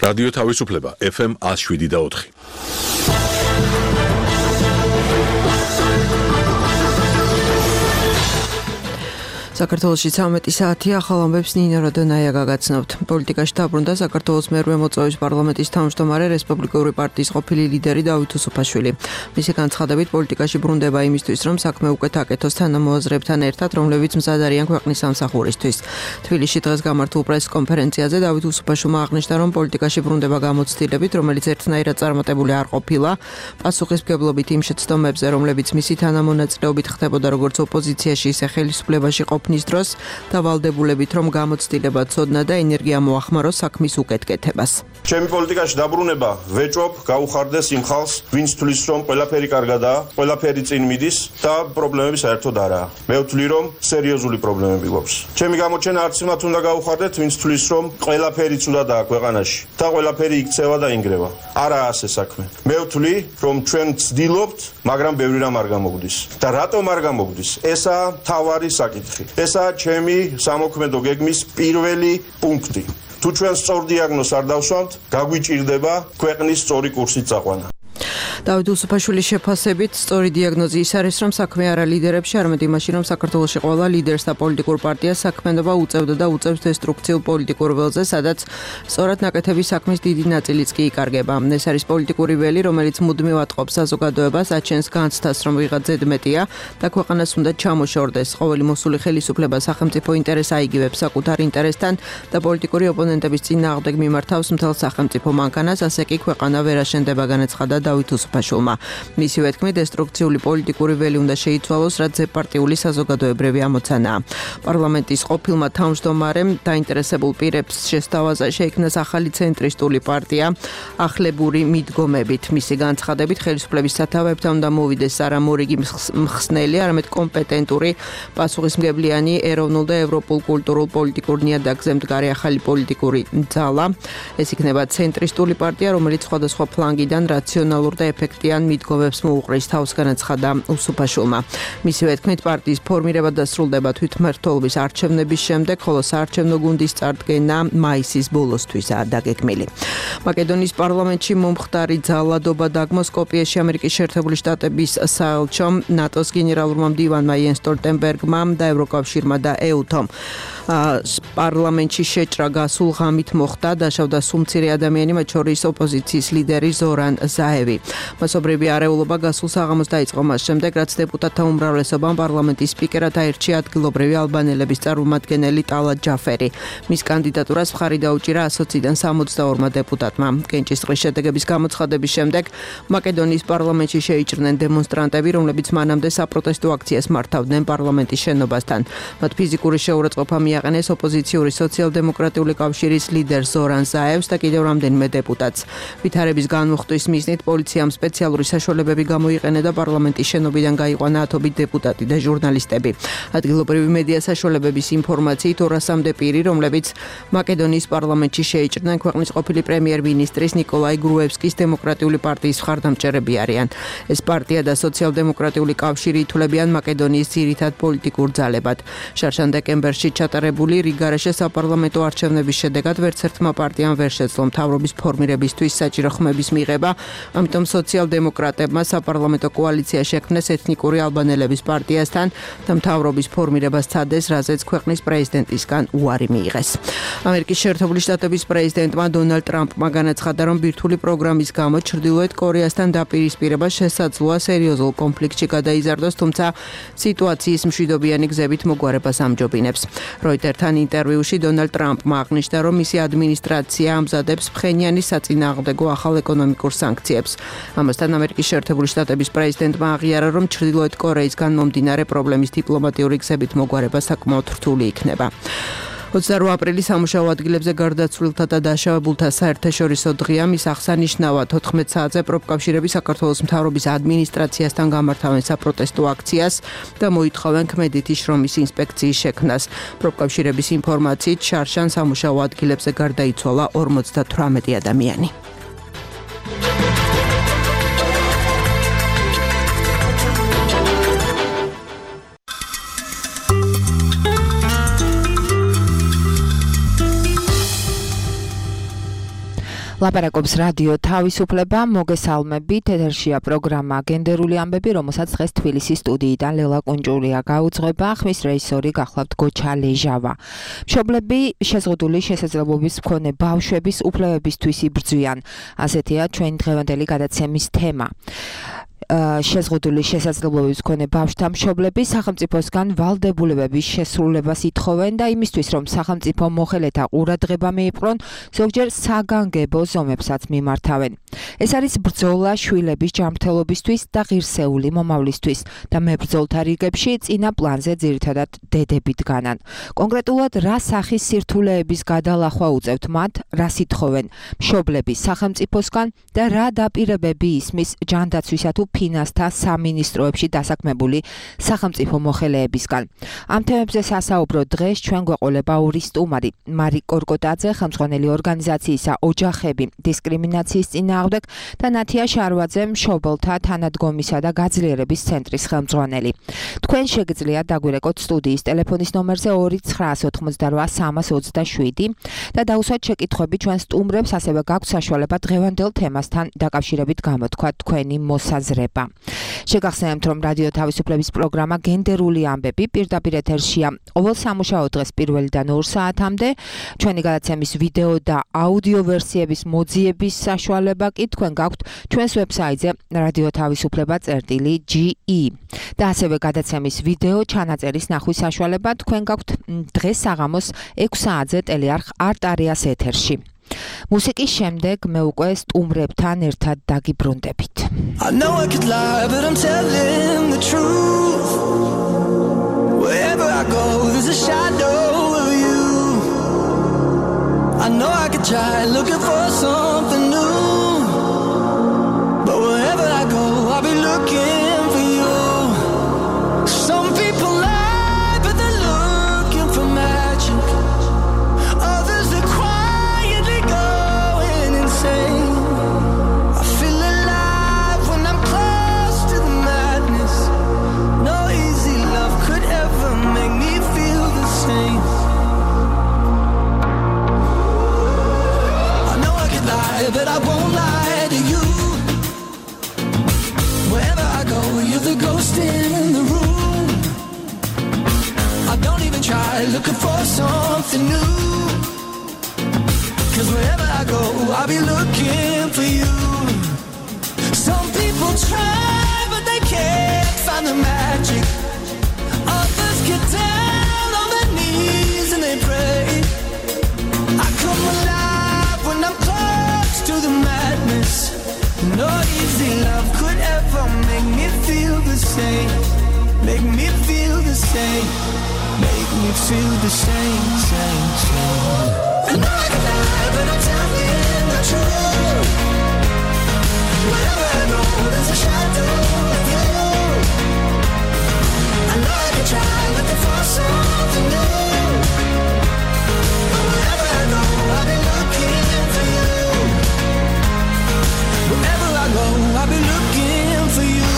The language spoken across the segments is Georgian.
რადიო თავისუფლება FM 107.4. საქართველოში 13 საათია, ახალ ამბებს ნინო როდონაია გაგაცნობთ. პოლიტიკაში დაბრუნდა საქართველოს მერვე მოწვევის პარლამენტის თავმჯდომარე რესპუბლიკური პარტიის ყოფილი ლიდერი დავით უსუფაშვილი. მისი განცხადებით, პოლიტიკაში ბრუნდება იმისთვის, რომ საქმე უკეთ აკეთოს თანამოაზრეებთან ერთად, რომლებიც მზად არიან ქვეყნის სამსახურისთვის. თბილისში დღეს გამართულ პრესკონფერენციაზე დავით უსუფაშვილმა აღნიშნა, რომ პოლიტიკაში ბრუნდება გამოცდილებით, რომელიც ერთნაირად წარმატებული არ ყოფილა, პასუხისმგებლობით იმ შეცდომებზე, რომლებიც მისი თანამონაწილეობით ხდებოდა როგორც ოპოზიციაში, ისე ხელისუფლებაში ყოფნის დროს დავალდებულებით, რომ გამოცდილება ცოდნა და ენერგია მოახმაროს საქმის უკეთკეთებას. ჩემი პოლიტიკაში დაბრუნება ვეჭვობ, გაუხარდეს იმ ხალხს, ვინც თვლის, რომ ყველაფერი კარგადაა, ყველაფერი წინ მიდის და პრობლემები საერთოდ არაა. მე ვთვლი, რომ სერიოზული პრობლემები გვაქვს. ჩემი გამოჩენა არც იმათ უნდა გაუხარდეთ, ვინც თვლის, რომ ყველაფერი ცუდადაა ქვეყანაში და ყველაფერი იქცევა და ინგრევა. არაა ასე საქმე. მე ვთვლი, რომ ჩვენ ვცდილობთ, მაგრამ ბევრი რამ არ გამოგდის. და რატომ არ გამოგდის? ესაა მთავარი საკითხი. ესაა ჩემი სამოქმედო გეგმის პირველი პუნქტი. თუ ჩვენ სწორ დიაგნოზს არ დავსვამთ, გაგვიჭირდება ქვეყნის სწორი კურსით წაყვანა. დავით უსუფაშვილის შეფასებით, სწორი დიაგნოზი ის არის, რომ საქმე არა ლიდერებში, არამედ იმაში, რომ საქართველოში ყველა ლიდერს და პოლიტიკურ პარტიას საქმიანობა უწევდა და უწევს დესტრუქციულ პოლიტიკურ ველზე, სადაც სწორად ნაკეთების საქმის დიდი ნაწილიც კი იკარგება. ეს არის პოლიტიკური ველი, რომელიც მუდმივად ყოფს საზოგადოებას, აჩენს განცდას, რომ ვიღაც ზედმეტია და ქვეყანას უნდა ჩამოშორდეს. ყოველი მოსული ხელისუფლება სახელმწიფო ინტერესს აიგივებს საკუთარ ინტერესთან და პოლიტიკური ოპონენტების წინააღმდეგ მიმართავს მთელ სახელმწიფო მანქანას, ასე კი ქვეყანა ვერ აშენდება, განაცხადა დავით უსუფაშვილმა. მისივე თქმით, დესტრუქციული პოლიტიკური ველი უნდა შეიცვალოს, რაც ზეპარტიული საზოგადოებრივი ამოცანაა. პარლამენტის ყოფილმა თავმჯდომარემ დაინტერესებულ პირებს შესთავაზა შეიქმნას ახალი ცენტრისტული პარტია ახლებური მიდგომებით. მისი განცხადებით, ხელისუფლების სათავეებთან უნდა მოვიდეს არა მორიგი მხსნელი, არამედ კომპეტენტური, პასუხისმგებლიანი, ეროვნულ და ევროპულ კულტურულ პოლიტიკურ ნიადაგზე მდგარი ახალი პოლიტიკური ძალა. ეს იქნება ცენტრისტული პარტია, რომელიც სხვადასხვა ფლანგიდან რაციონალურ და ეფექტიან მიდგომებს მოუყრის, თავს განაცხადა უსუფაშვილმა. მისივე თქმით, პარტიის ფორმირება დასრულდება თვითმმართველობის არჩევნების შემდეგ, ხოლო საარჩევნო გუნდის წარდგენა მაისის ბოლოსთვისაა დაგეგმილი. მაკედონიის პარლამენტში მომხდარი ძალადობა დაგმო სკოპიეში ამერიკის შეერთებული შტატების საელჩომ, ნატოს გენერალურმა მდივანმა იენს სტოლტენბერგმა და ევროკავშირმა და EU-თომ. პარლამენტში შეჭრა გასულ ღამით მოხდა, დაშავდა სულ მცირე ადამიანი, მათ შორის ოპოზიციის ლიდერი ზორან ზაევი. მასობრივი არეულობა გასულ საღამოს დაიწყო მას შემდეგ, რაც დეპუტატთა უმრავლესობამ პარლამენტის სპიკერად აირჩია ადგილობრივი ალბანელების წარმომადგენელი ტალატ ჯაფერი. მის კანდიდატურას მხარი დაუჭირა 120-დან 62 დეპუტატმა. კენჭისყრის შედეგების გამოცხადების შემდეგ მაკედონიის პარლამენტში შეიჭრნენ დემონსტრანტები, რომლებიც მანამდე საპროტესტო აქციას მართავდნენ პარლამენტის შენობასთან. მათ ფიზიკური შეურაცხყოფა მიაყენეს ოპოზიციური სოციალ-დემოკრატიული კავშირის ლიდერ ზორან ზაევს და კიდევ რამდენიმე დეპუტატს. ვითარების განმუხტვის მიზნით პოლიციამ სპეციალური საშუალებები გამოიყენა და პარლამენტის შენობიდან გაიყვანა ათობით დეპუტატი და ჟურნალისტები. ადგილობრივი მედია საშუალებების ინფორმაციით 200-მდე პირი, რომლებიც მაკედონიის პარლამენტში შეიჭრნენ ქვეყნის ყოფილი პრემიერ-მინისტრის ნიკოლაი გრუევსკის დემოკრატიული პარტიის მხარდამჭერები არიან. ეს პარტია და სოციალ-დემოკრატიული კავშირი ითვლებიან მაკედონიის ძირითად პოლიტიკურ ძალებად. შარშან დეკემბერში ჩატარებული რიგარეშე საპარლამენტო არჩევნების შედეგად ვერც ერთმა პარტიამ ვერ შეძლო მთავრობის ფორმირებისთვის საჭირო ხმების მიღება, ამიტომ სოციალ-დემოკრატებმა საპარლამენტო კოალიცია შექმნეს ეთნიკური ალბანელების პარტიასთან და მთავრობის ფორმირება სცადეს, რაზეც ქვეყნის პრეზიდენტისგან უარი მიიღეს. ამერიკის შეერთებული შტატების პრეზიდენტმა დონალდ ტრამპმა განაცხადა, რომ ბირთვული პროგრამის გამო ჩრდილოეთ კორეასთან დაპირისპირება შესაძლოა სერიოზულ კონფლიქტში გადაიზარდოს, თუმცა სიტუაციის მშვიდობიანი გზებით მოგვარებას ამჯობინებს. როიტერთან ინტერვიუში დონალდ ტრამპმა აღნიშნა, რომ მისი ადმინისტრაცია ამზადებს ფხენიანის საწინააღმდეგო ახალ ეკონომიკურ სანქციებს. ამასთან ამერიკის შეერთებული შტატების პრეზიდენტმა აღიარა, რომ ჩრდილოეთ კორეისგან მომდინარე პრობლემის დიპლომატიური გზებით მოგვარება საკმაოდ რთული იქნება. 28 აპრილის სამუშაო ადგილებზე გარდაცვლილთა და დაშავებულთა საერთაშორისო დღეა. მის აღსანიშნავად 14 საათზე პროფკავშირები საქართველოს მთავრობის ადმინისტრაციასთან გამართავენ საპროტესტო აქციას და მოითხოვენ ქმედითი შრომის ინსპექციის შექმნას. პროფკავშირების ინფორმაციით შარშან სამუშაო ადგილებზე გარდაიცვალა 58 ადამიანი. ლაპარაკობს რადიო თავისუფლება, მოგესალმებით, ეთერშია პროგრამა გენდერული ამბები, რომელსაც დღეს თბილისის სტუდიიდან ლელა კუნჭურია გაუძღვება, ხმის რეჟისორი გახლავთ გოჩა ლეჟავა. მშობლები შეზღუდული შესაძლებლობის მქონე ბავშვების უფლებებისთვის იბრძვიან. ასეთია ჩვენი დღევანდელი გადაცემის თემა. შეზღუდული შესაძლებლობის მქონე ბავშვთა მშობლები სახელმწიფოსგან ვალდებულებების შესრულებას ითხოვენ და იმისთვის, რომ სახელმწიფო მოხელეთა ყურადღება მიიპყრონ, ზოგჯერ საგანგებო ზომებსაც მიმართავენ. ეს არის ბრძოლა შვილების ჯანმრთელობისთვის და ღირსეული მომავლისთვის და მებრძოლთა რიგებში წინა პლანზე ძირითადად დედები დგანან. კონკრეტულად რა სახის სირთულეების გადალახვა უწევთ მათ, რას ითხოვენ მშობლები სახელმწიფოსგან და რა დაპირებები ისმის ჯანდაცვისა თუ ფინანსთა სამინისტროებში დასაქმებული სახელმწიფო მოხელეებისგან. ამ თემებზე სასაუბრო დღეს ჩვენ გვეყოლება ორი სტუმარი, მარი კორკოტაძე, ხელმძღვანელი ორგანიზაციისა ოჯახები დისკრიმინაციის წინააღმდეგ და ნათია შარვაძე, მშობელთა თანადგომისა და გაძლიერების ცენტრის ხელმძღვანელი. თქვენ შეგიძლიათ დაგვირეკოთ სტუდიის ტელეფონის ნომერზე 2988327 და დაუსვათ შეკითხვები ჩვენ სტუმრებს, ასევე გაქვთ საშუალება დღევანდელ თემასთან დაკავშირებით გამოთქვათ თქვენი მოსაზრება. შეგახსენებთ, რომ რადიო თავისუფლების პროგრამა გენდერული ამბები პირდაპირ ეთერშია ყოველ სამუშაო დღეს 1-დან 2 საათამდე. ჩვენი გადაცემის ვიდეო და აუდიო ვერსიების მოძიების საშუალება კი თქვენ გაქვთ ჩვენს ვებსაიტზე radioთავისუფლება.ge და ასევე გადაცემის ვიდეო ჩანაწერის ნახვის საშუალება თქვენ გაქვთ დღეს საღამოს 6 საათზე ტელეარხ არტარიას ეთერში. მუსიკის შემდეგ მე უკვე სტუმრებთან ერთად დაგიბრუნდებით. I know I could lie, but I'm telling the truth. Wherever I go, there's a shadow of you. I know I could try looking for something new, but wherever I go, I'll be looking for you. Some people lie, but they're looking for magic. Others are quietly going insane. I feel alive when I'm close to the madness. No easy love could ever make me feel the same. I know I could lie, but I won't lie to you. Wherever I go, you're the ghost in the room. I don't even try looking for something new, 'cause wherever I go, I'll be looking for you. Some people try, but they can't find the magic. Others get down on their knees and they pray. I come alive when I'm close to the madness. No easy love could ever make me feel the same. Make me feel the same. Make me feel the same, same, same. I know I can lie, but I'm telling the truth. Wherever I go, there's a shadow of you. I know I can try looking for something new, but wherever I go, I'll be looking for you. Wherever I go, I'll be looking for you.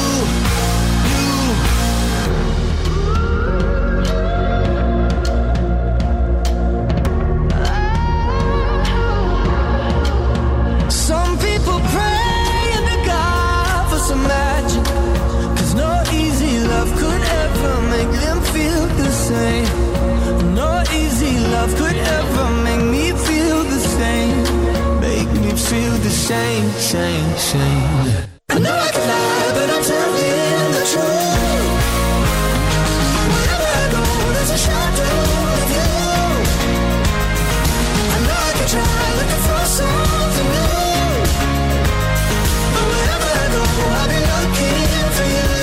Some people pray in the God for some magic, 'cause no easy love could ever make them feel the same. No easy love could ever make me feel the same. Make me feel the same, same, same. I know I can lie, but I'm telling the truth. Wherever I go, there's a shadow of you. I know I can try looking for something new, but wherever I go, I'll be looking for you.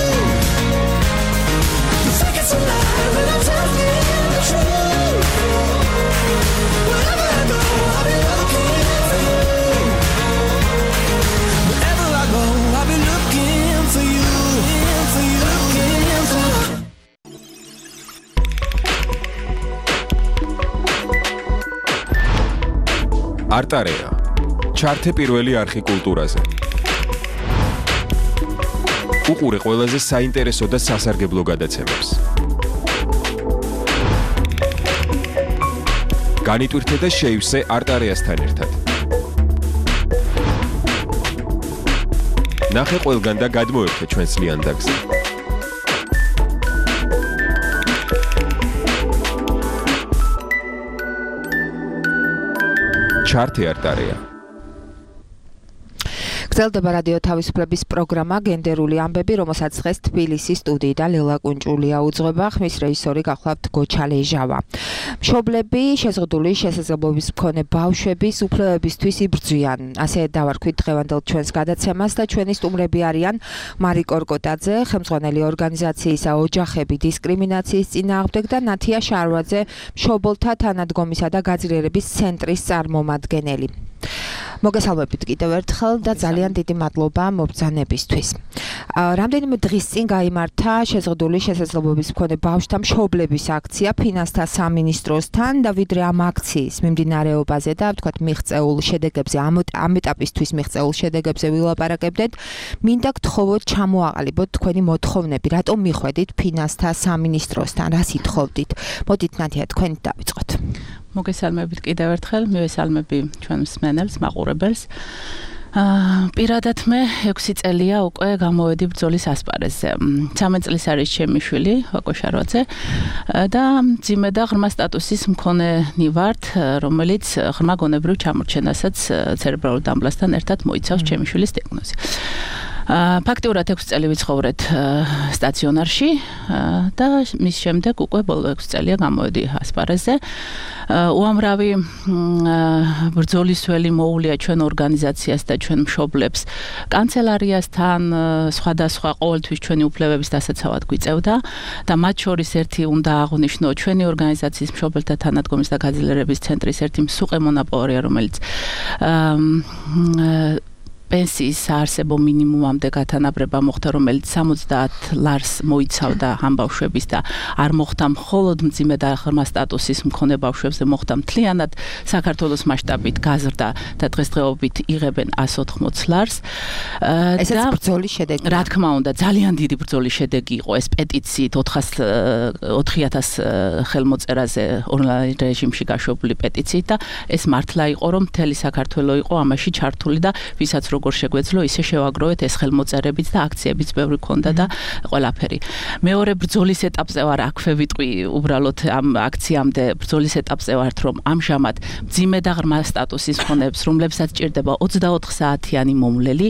You think it's a lie, but I'm telling the truth. Wherever I go, I'll be looking for you. Wherever I go, I'll be looking for you, for you, looking for you. არტარია. ჩართე პირველი არხი კულტურაზე. უყურე ყველაზე საინტერესო და სასარგებლო გადაცემებს. განიტვირთე და შეივსე არტარიასთან ერთად. ნახე ყველგან და გადმოერხე ჩვენს ლიანდაგზე. ჩარტი არტარია. გრძელდება რადიო თავისუფლების პროგრამა გენდერული ამბები, რომელსაც დღეს თბილისის სტუდიიდან ლელა კუნჭულია უძღვება, ხმის რეჟისორი გახლავთ გოჩა ლეჟავა. მშობლები შეზღუდული შესაძლებლობის მქონე ბავშვების უფლებებისთვის იბრძვიან. ასე დავარქვით დღევანდელ ჩვენს გადაცემას და ჩვენი სტუმრები არიან მარი კორკოტაძე, ხელმძღვანელი ორგანიზაციისა ოჯახები დისკრიმინაციის წინააღმდეგ და ნათია შარვაძე, მშობელთა თანადგომისა და გაძლიერების ცენტრის წარმომადგენელი. მოგესალმებით კიდევ ერთხელ და ძალიან დიდი მადლობა მობრძანებისთვის. რამდენიმე დღის წინ გაიმართა შეზღუდული შესაძლებლობის მქონე ბავშვთა მშობლების აქცია ფინანსთა სამინისტროსთან და ვიდრე ამ აქციის მიმდინარეობაზე და ვთქვათ მიღწეულ შედეგებზე, ამ ეტაპისთვის მიღწეულ შედეგებზე ვილაპარაკებდეთ, მინდა გთხოვოთ ჩამოაყალიბოთ თქვენი მოთხოვნები, რატომ მიხვედით ფინანსთა სამინისტროსთან, რას ითხოვდით? მოდით ნათია თქვენ დავიწყოთ. მოგესალმებით კიდევ ერთხელ, მივესალმები ჩვენ მსმენელს, მაყურებელს. პირადად მე 6 წელია უკვე გამოვედი ბრძოლის ასპარეზზე. 13 წლის არის ჩემი შვილი, ვაკო შარვაძე და მძიმე და ღრმა სტატუსის მქონენი ვართ, რომელიც ღრმა გონებრივ ჩამორჩენასაც ცერებრალურ დამბლასთან ერთად მოიცავს ჩემი შვილის დიაგნოზი. ფაქტიურად 6 წელი ვიცხოვრეთ სტაციონარში და მის შემდეგ უკვე ბოლო 6 წელია გამოვედი ასპარეზზე. უამრავი ბრძოლის ველი მოუვლია ჩვენ ორგანიზაციას და ჩვენ მშობლებს კანცელარიასთან, სხვადასხვა ყოველთვის ჩვენი უფლებების დასაცავად გვიწევდა და მათ შორის ერთი უნდა აღვნიშნო ჩვენი ორგანიზაციის მშობელთა თანადგომის და გაძლიერების ცენტრის ერთი მსუყე მონაპოვარია, რომელიც პენსიის საარსებო მინიმუმამდე გათანაბრება მოხდა, რომელიც 70 ლარს მოიცავდა ამ ბავშვების და არ მოხდა მხოლოდ მძიმე და ღრმა სტატუსის მქონე ბავშვებზე, მოხდა მთლიანად საქართველოს მასშტაბით გაზრდა და დღესდღეობით იღებენ 180 ლარს. ესეც ბრძოლის შედეგი. რა თქმა უნდა, ძალიან დიდი ბრძოლის შედეგი იყო ეს პეტიციით 4000 ხელმოწერაზე ონლაინ რეჟიმში გაშვებული პეტიციით და ეს მართლა იყო, რომ მთელი საქართველო იყო ამაში ჩართული და ვისაც როგორ შეგვეძლო ისე შევაგროვეთ ეს ხელმოწერებიც და აქციებიც ბევრი ქონდა და ყველაფერი. მეორე ბრძოლის ეტაპზე ვარ, აქვე ვიტყვი უბრალოდ ამ აქციამდე ბრძოლის ეტაპზე ვართ, რომ ამჟამად მძიმე და ღრმა სტატუსის მქონეებს, რომლებსაც ჭირდება 24 საათიანი მომვლელი,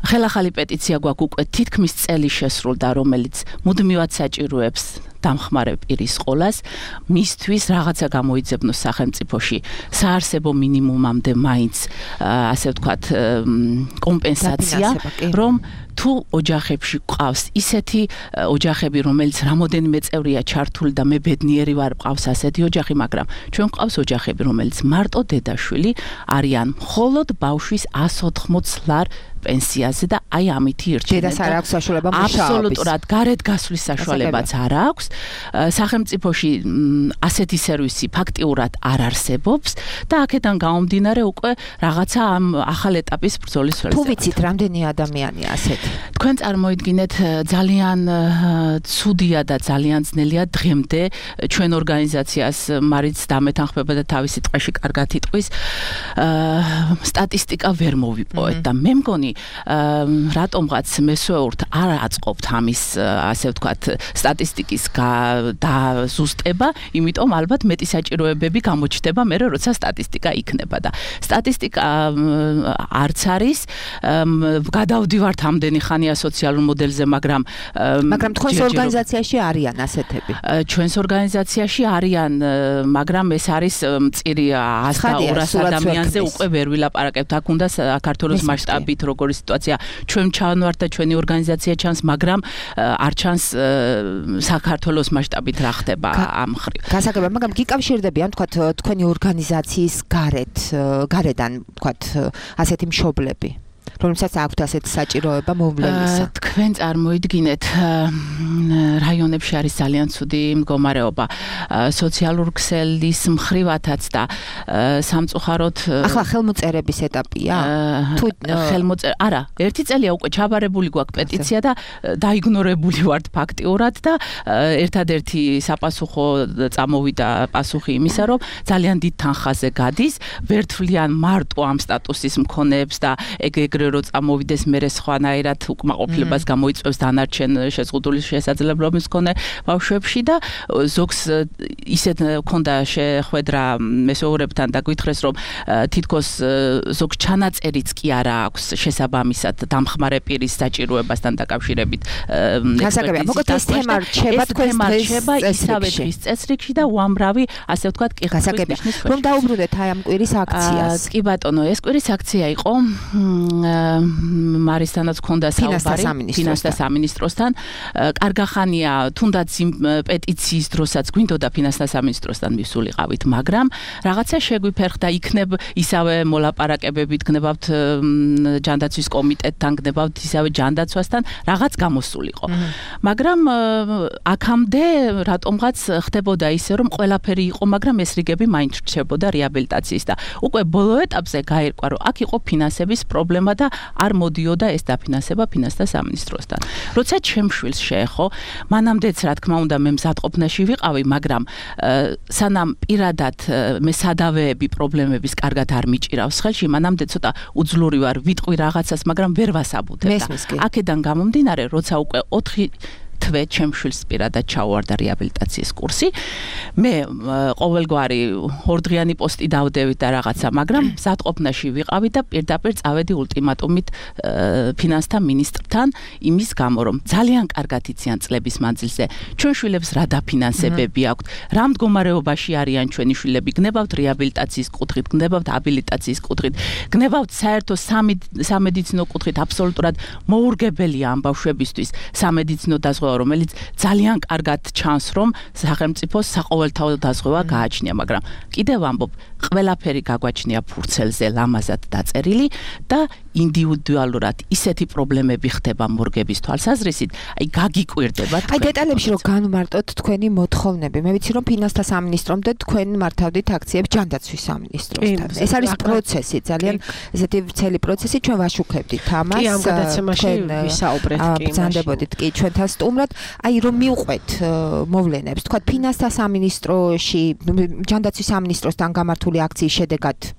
ხელახალი პეტიცია გვაქვს უკვე თითქმის წელი შესრულდა, რომელიც მუდმივად საჭიროებს დამხმარე პირის ყოლას, მისთვის რაღაცა გამოიძებნოს სახელმწიფოში საარსებო მინიმუმამდე მაინც, ასე ვთქვათ, კომპენსაცია, რომ თუ ოჯახებში ყავს ისეთი ოჯახები, რომელიც რამოდენიმე წევრია ჩართული და მე ბედნიერი ვარ, ყავს ასეთი ოჯახი, მაგრამ ჩვენ ყავს ოჯახები, რომელიც მარტო დედაშვილი არიან მხოლოდ ბავშვის 180 ლარ პენსიაზე და აი ამით ირჩენენ. დედას არ აქვს საშუალება მუშაობის. აბსოლუტურად გარეთ გასვლის საშუალებაც არ აქვს. სახელმწიფოში ასეთი სერვისი ფაქტიურად არ არსებობს და აქედან გამომდინარე უკვე რაღაცა ამ ახალ ეტაპის ბრძოლის ველზე. თუ ვიცით, რამდენი ადამიანია ასეთი? თქვენ წარმოიდგინეთ, ძალიან ცუდია და ძალიან ძნელია დღემდე ჩვენ ორგანიზაციას მარიც დამეთანხმება და თავისი ტყეში კარგად იტყვის, სტატისტიკა ვერ მოვიპოვეთ და მე მგონი რატომღაც მესვეურთ არ აწყობთ ამის, ასე ვთქვათ, სტატისტიკის დაზუსტება, იმიტომ ალბათ მეტი საჭიროებები გამოჩნდება მერე, როცა სტატისტიკა იქნება და სტატისტიკა არც არის, გადავდივართ ამდენი ხანია სოციალურ მოდელზე, მაგრამ თქვენს ორგანიზაციაში არიან ასეთები. ჩვენს ორგანიზაციაში არიან, მაგრამ ეს არის მწირი 100-200 ადამიანზე უკვე ვერ ვილაპარაკებთ. აქ უნდა საქართველოს მასშტაბით როგორი სიტუაცია, ჩვენ ჩავართ და ჩვენი ორგანიზაცია ჩანს, მაგრამ არ ჩანს საქართველოს მასშტაბით რა ხდება ამ ხრივ. გასაგებია, მაგრამ გიკავშირდებიან, თქვათ, თქვენი ორგანიზაციის გარედან, თქვათ, ასეთი მშობლები, რომელსაც აქვთ ასეთი საჭიროება მომვლელისა. თქვენ წარმოიდგინეთ, რაიონებში არის ძალიან ცუდი მდგომარეობა, სოციალურ ქსელის მხრივათაც და სამწუხაროდ ახლა ხელმოწერების ეტაპია? თუ არა, ერთი წელია უკვე ჩაბარებული გვაქვს პეტიცია და დაიგნორებული ვართ ფაქტიურად და ერთადერთი საპასუხო წამოვიდა პასუხი იმისა, რომ ძალიან დიდ თანხაზე გადის, ვერ თვლიან მარტო ამ სტატუსის მქონეებს და ეგ ეგრე რო წამოვიდეს მერე სხვანაირად უკმაყოფილებას გამოიწვევს დანარჩენ შეზღუდული შესაძლებლობის მქონე ბავშვებში და ზოგს ისეთ ქონდა შეხვედრა მესეურებთან და გითხრეს რომ თითქოს ზოგ ჩანაწერიც კი არა აქვს შესაბამისად დამხმარე პირის საჭიროებასთან დაკავშირებით გასაგებია მოკლედ ეს თემა რჩება თქვენს ისავე დღის წესრიგში და უამრავი ასე ვთქვათ კი გასაგებია რომ დაუბრუნდეთ აი ამ კვირის აქციას კი ბატონო ეს კვირის აქცია იყო მარისთანაც ქონდა საუბარი ფინანსთა სამინისტროსთან კარგახანია თუნდაც იმ პეტიციის დროსაც გვინდოდა ფინანსთა სამინისტროსთან მივსულიყავით მაგრამ რაღაცა შეგვიფერხდა იქნებ ისავე მოლაპარაკებებით გნებავთ ჯანდაცვის კომიტეტთან გნებავთ ისავე ჯანდაცვასთან რაღაც გამოსულიყო მაგრამ აქამდე რატომღაც ხდებოდა ისე რომ ყველაფერი იყო მაგრამ ეს რიგები მაინც რჩებოდა რეაბილიტაციის და უკვე ბოლო ეტაპზე გაირკვა რომ აქ იყო ფინანსების პრობლემა და არ მოდიოდა ეს დაფინანსება ფინანსთა სამინისტროსთან როცა ჩემშვილს შეეხო მანამდეც რა თქმა უნდა მე მზადყოფნაში ვიყავი მაგრამ სანამ პირადად მე სადავეები პრობლემების კარგად არ მიჭირავს ხელში მანამდე ცოტა უძლური ვარ ვიტყვი რაღაცას მაგრამ ვერ ვასაბუთებ და აქედან გამომდინარე როცა უკვე 4 თვე ჩემშვილს პირადად ჩავარდა რეაბილიტაციის კურსი მე ყოველგვარი ორდღიანი პოსტი დავდევით და რაღაცა მაგრამ მზადყოფნაში ვიყავი და პირდაპირ წავედი ულტიმატუმით ფინანსთა მინისტრთან იმის გამო რომ ძალიან კარგად იციან წლების მანძილზე ჩვენ შვილებს რა დაფინანსებები აქვთ რა მდგომარეობაში არიან ჩვენი შვილები გნებავთ რეაბილიტაციის კუთხით გნებავთ აბილიტაციის კუთხით გნებავთ საერთო სამედიცინო კუთხით აბსოლუტურად მოურგებელია ამ ბავშვებისთვის სამედიცინო დაზღვევა რომელიც ძალიან კარგად ჩანს რომ სახელმწიფოს საყოველთაო დაზღვევა გააჩნია მაგრამ კიდევ ამბობ ყველაფერი გაგვაჩნია ფურცელზე ლამაზად დაწერილი და ინდივიდუალურად ისეთი პრობლემები ხდება მორგების თვალსაზრისით აი გაგიკვირდება აი დეტალებში რომ განვმარტოთ თქვენი მოთხოვნები მე ვიცი რომ ფინანსთა სამინისტრომდე თქვენ მართავდით აქციებს ჯანდაცვის სამინისტროსთან ეს არის პროცესი ძალიან ესეთი ვრცელი პროცესი ჩვენ ვაშუქებდით ამას კი ამ გადაცემაში ვისაუბრეთ კი ბრძანდებოდით კი ჩვენთან სტუმრად აი რომ მივყვეთ მოვლენებს თქვა ფინანსთა სამინისტროში ჯანდაცვის სამინისტროსთან გამართული აქციის შედეგად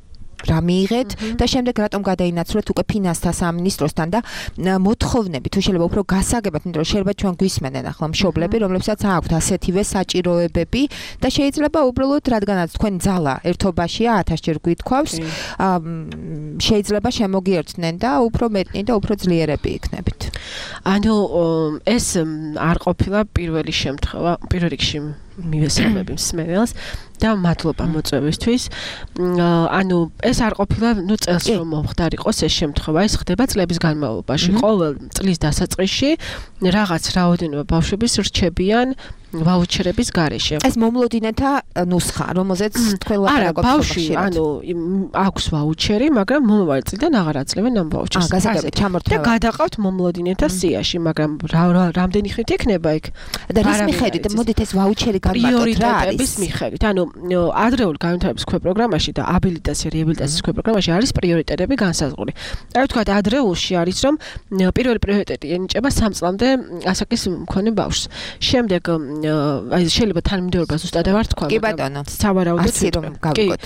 რა მიიღეთ და შემდეგ რატომ გადაინაცვლეთ უკვე ფინანსთა სამინისტროსთან და მოთხოვნები თუ შეიძლება უფრო გასაგებად იმიტომ რომ შეიძლება ჩვენ გვისმენენ ახლა მშობლები რომლებსაც აქვთ ასეთივე საჭიროებები და შეიძლება უბრალოდ რადგანაც თქვენ ძალა ერთობაშია 1000 ჯერ გვითქვავს შეიძლება შემოგიერთნენ და უფრო მეტნი და უფრო ძლიერები იქნებით ანუ ეს არ ყოფილა პირველი შემთხვევა პირველ რიგში მივესალმები მსმენელს და მადლობა მოწვევისთვის. ანუ ეს არ ყოფილა, წელს რომ მომხდარიყოს ეს შემთხვევა, ეს ხდება წლების განმავლობაში. ყოველ წლის დასაწყისში რაღაც რაოდენობა ბავშვების რჩებიან ვაუჩერების გარეშე. ეს მომლოდინეთა ნუსხა, რომელზეც თქვენ ლაპარაკობთ. ბავშვი, ანუ აქვს ვაუჩერი, მაგრამ მომავალ წლიდან აღარ აძლევენ ამ ვაუჩერს. გასაგებია, ჩამორთმევა. და გადაყავთ მომლოდინეთა სიაში, მაგრამ რამდენი ხნით იქნება იქ? და რის მიხედვით მოდით ეს ვაუჩერი განმარტოთ რა არის? პრიორიტეტების მიხედვით. ანუ ადრეულ განვითარების ქვეპროგრამაში და აბილიტაცია რეაბილიტაციის ქვეპროგრამაში არის პრიორიტეტები განსაზღვრული. აი ვთქვათ, ადრეულში არის რომ პირველი პრიორიტეტი ენიჭება 3 წლამდე ასაკის მქონე ბავშვს. შემდეგ აი შეიძლება თანმიმდევრობა ზუსტად არ თქვა, მაგრამ სავარაუდოდ რომ გავიგოთ.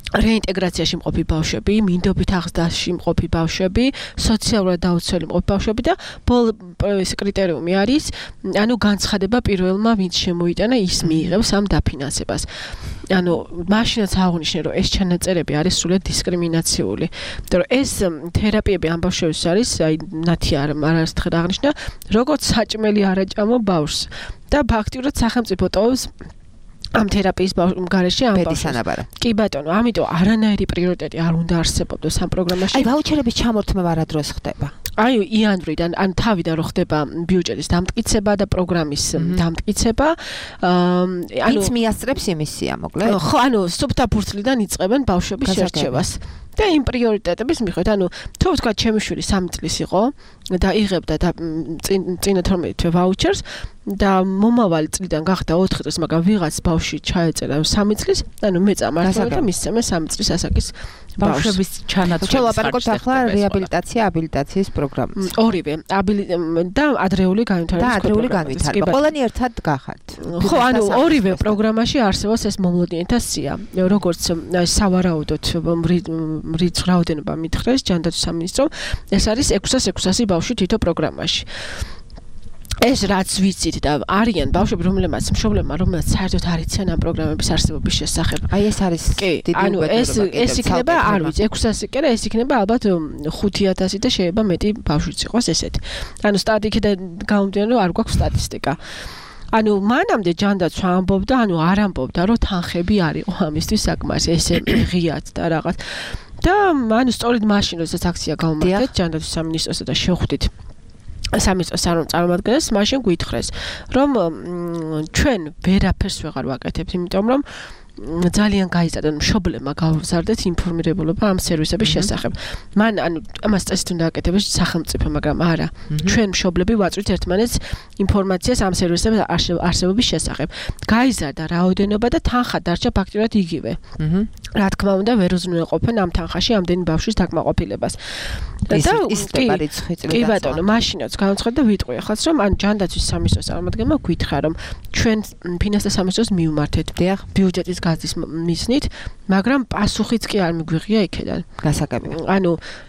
რეინტეგრაციაში მყოფი ბავშვები, მინდობით აღზრდაში მყოფი ბავშვები, სოციალურად დაუცველი მყოფი ბავშვები და ეს კრიტერიუმი არის, ანუ განცხადება პირველმა ვინც შემოიტანა ის მიიღებს ამ დაფინანსებას. ანუ მაშინაც აღნიშნე რომ ეს ჩანაწერები არის სრულად დისკრიმინაციული. იმიტომ რომ ეს თერაპიები ამ ბავშვებს არის, აი ნათი არასდროს აღნიშნა, როგორც საჭმელი არაჭამო ბავშვს და ფაქტიურად სახელმწიფო ტოვებს ამ თერაპიის გარეშე ამ ბავშვს. კი ბატონო, ამიტომ არანაირი პრიორიტეტი არ უნდა არსებობდეს ამ პროგრამაში. აი ვაუჩერების ჩამორთმევა რა დროს ხდება? აი იანვრიდან ან თავიდან რო ხდება ბიუჯეტის დამტკიცება და პროგრამის დამტკიცება. ანუ ის მიასწრებს იმისია, მოკლედ. ხო, ანუ სუფთა ფურცლიდან იწყებენ ბავშვების შერჩევას. და იმ პრიორიტეტების მიხედვით, ანუ თუ ვთქვათ, ჩემი შვილი 3 წლის იყო და იღებდა წინა 12 თვე ვაუჩერს, და მომავალი წლიდან გახდა 4 წლის, მაგრამ ვიღაც ბავშვი ჩაეწერა 3 წლის, ანუ მე წამართვა და მისცემენ 3 წლის ასაკის ბავშვების ჩანაცვლების. შევაპარაკოთ ახლა რეაბილიტაცია, აბილიტაციის პროგრამას. ორივე, და ადრეული განვითარების პროგრამა. ყველანი ერთად გახართ. ხო, ანუ ორივე პროგრამაში არსებობს ეს მომლოდნელთა სია. როგორც სავარაუდოდ რიცხ რაოდენობა მითხრეს ჯანდაცვის სამინისტრომ, ეს არის 600 ბავშვი თითო პროგრამაში. ეს რაც ვიცით და არიან ბავშვები, რომლებმაც მშობლებმა, რომელსაც საერთოდ არ იციან ამ პროგრამების არსებობის შესახებ. აი ეს არის დიდი უბედურება. ეს იქნება, არ ვიცი, 600 კი არა, ეს იქნება ალბათ 5000 და შეიძლება მეტი ბავშვიც იყოს ესეთი. ანუ სტატისტიკიდან გამომდინარე, რომ არ გვაქვს სტატისტიკა. ანუ მანამდე ჯანდაცვა ამბობდა, არ ამბობდა, რომ თანხები არ იყო ამისთვის საკმარისი, ესე ღიად და რაღაც. და სწორედ მაშინ, როდესაც აქცია გავუმართეთ ჯანდაცვის სამინისტროსა და შევხვდით სამინისტროს წარმომადგენლებს, მაშინ გვითხრეს, რომ ჩვენ ვერაფერს ვეღარ ვაკეთებთ, იმიტომ რომ ძალიან გაიზარდა მშობლებმა გავზარდეთ ინფორმირებულობა ამ სერვისების შესახებ. მან ამას წესით უნდა აკეთებდეს სახელმწიფო, მაგრამ არა. ჩვენ მშობლები ვაწვით ერთმანეთს ინფორმაციას ამ სერვისების არსებობის შესახებ. გაიზარდა რაოდენობა და თანხა დარჩა ფაქტიურად იგივე. რა თქმა უნდა, ვერ უზრუნველყოფენ ამ თანხაში ამდენი ბავშვის დაკმაყოფილებას. კი ბატონო, მაშინაც განაცხადა და ვიტყვი ახაც, რომ ჯანდაცვის სამინისტროს წარმომადგენელმა გითხრა, რომ ჩვენ ფინანსთა სამინისტროს მივმართეთ ბიუჯეტის გაზის მისნით, მაგრამ პასუხიც კი არ მიგვიღია იქედან. გასაგები.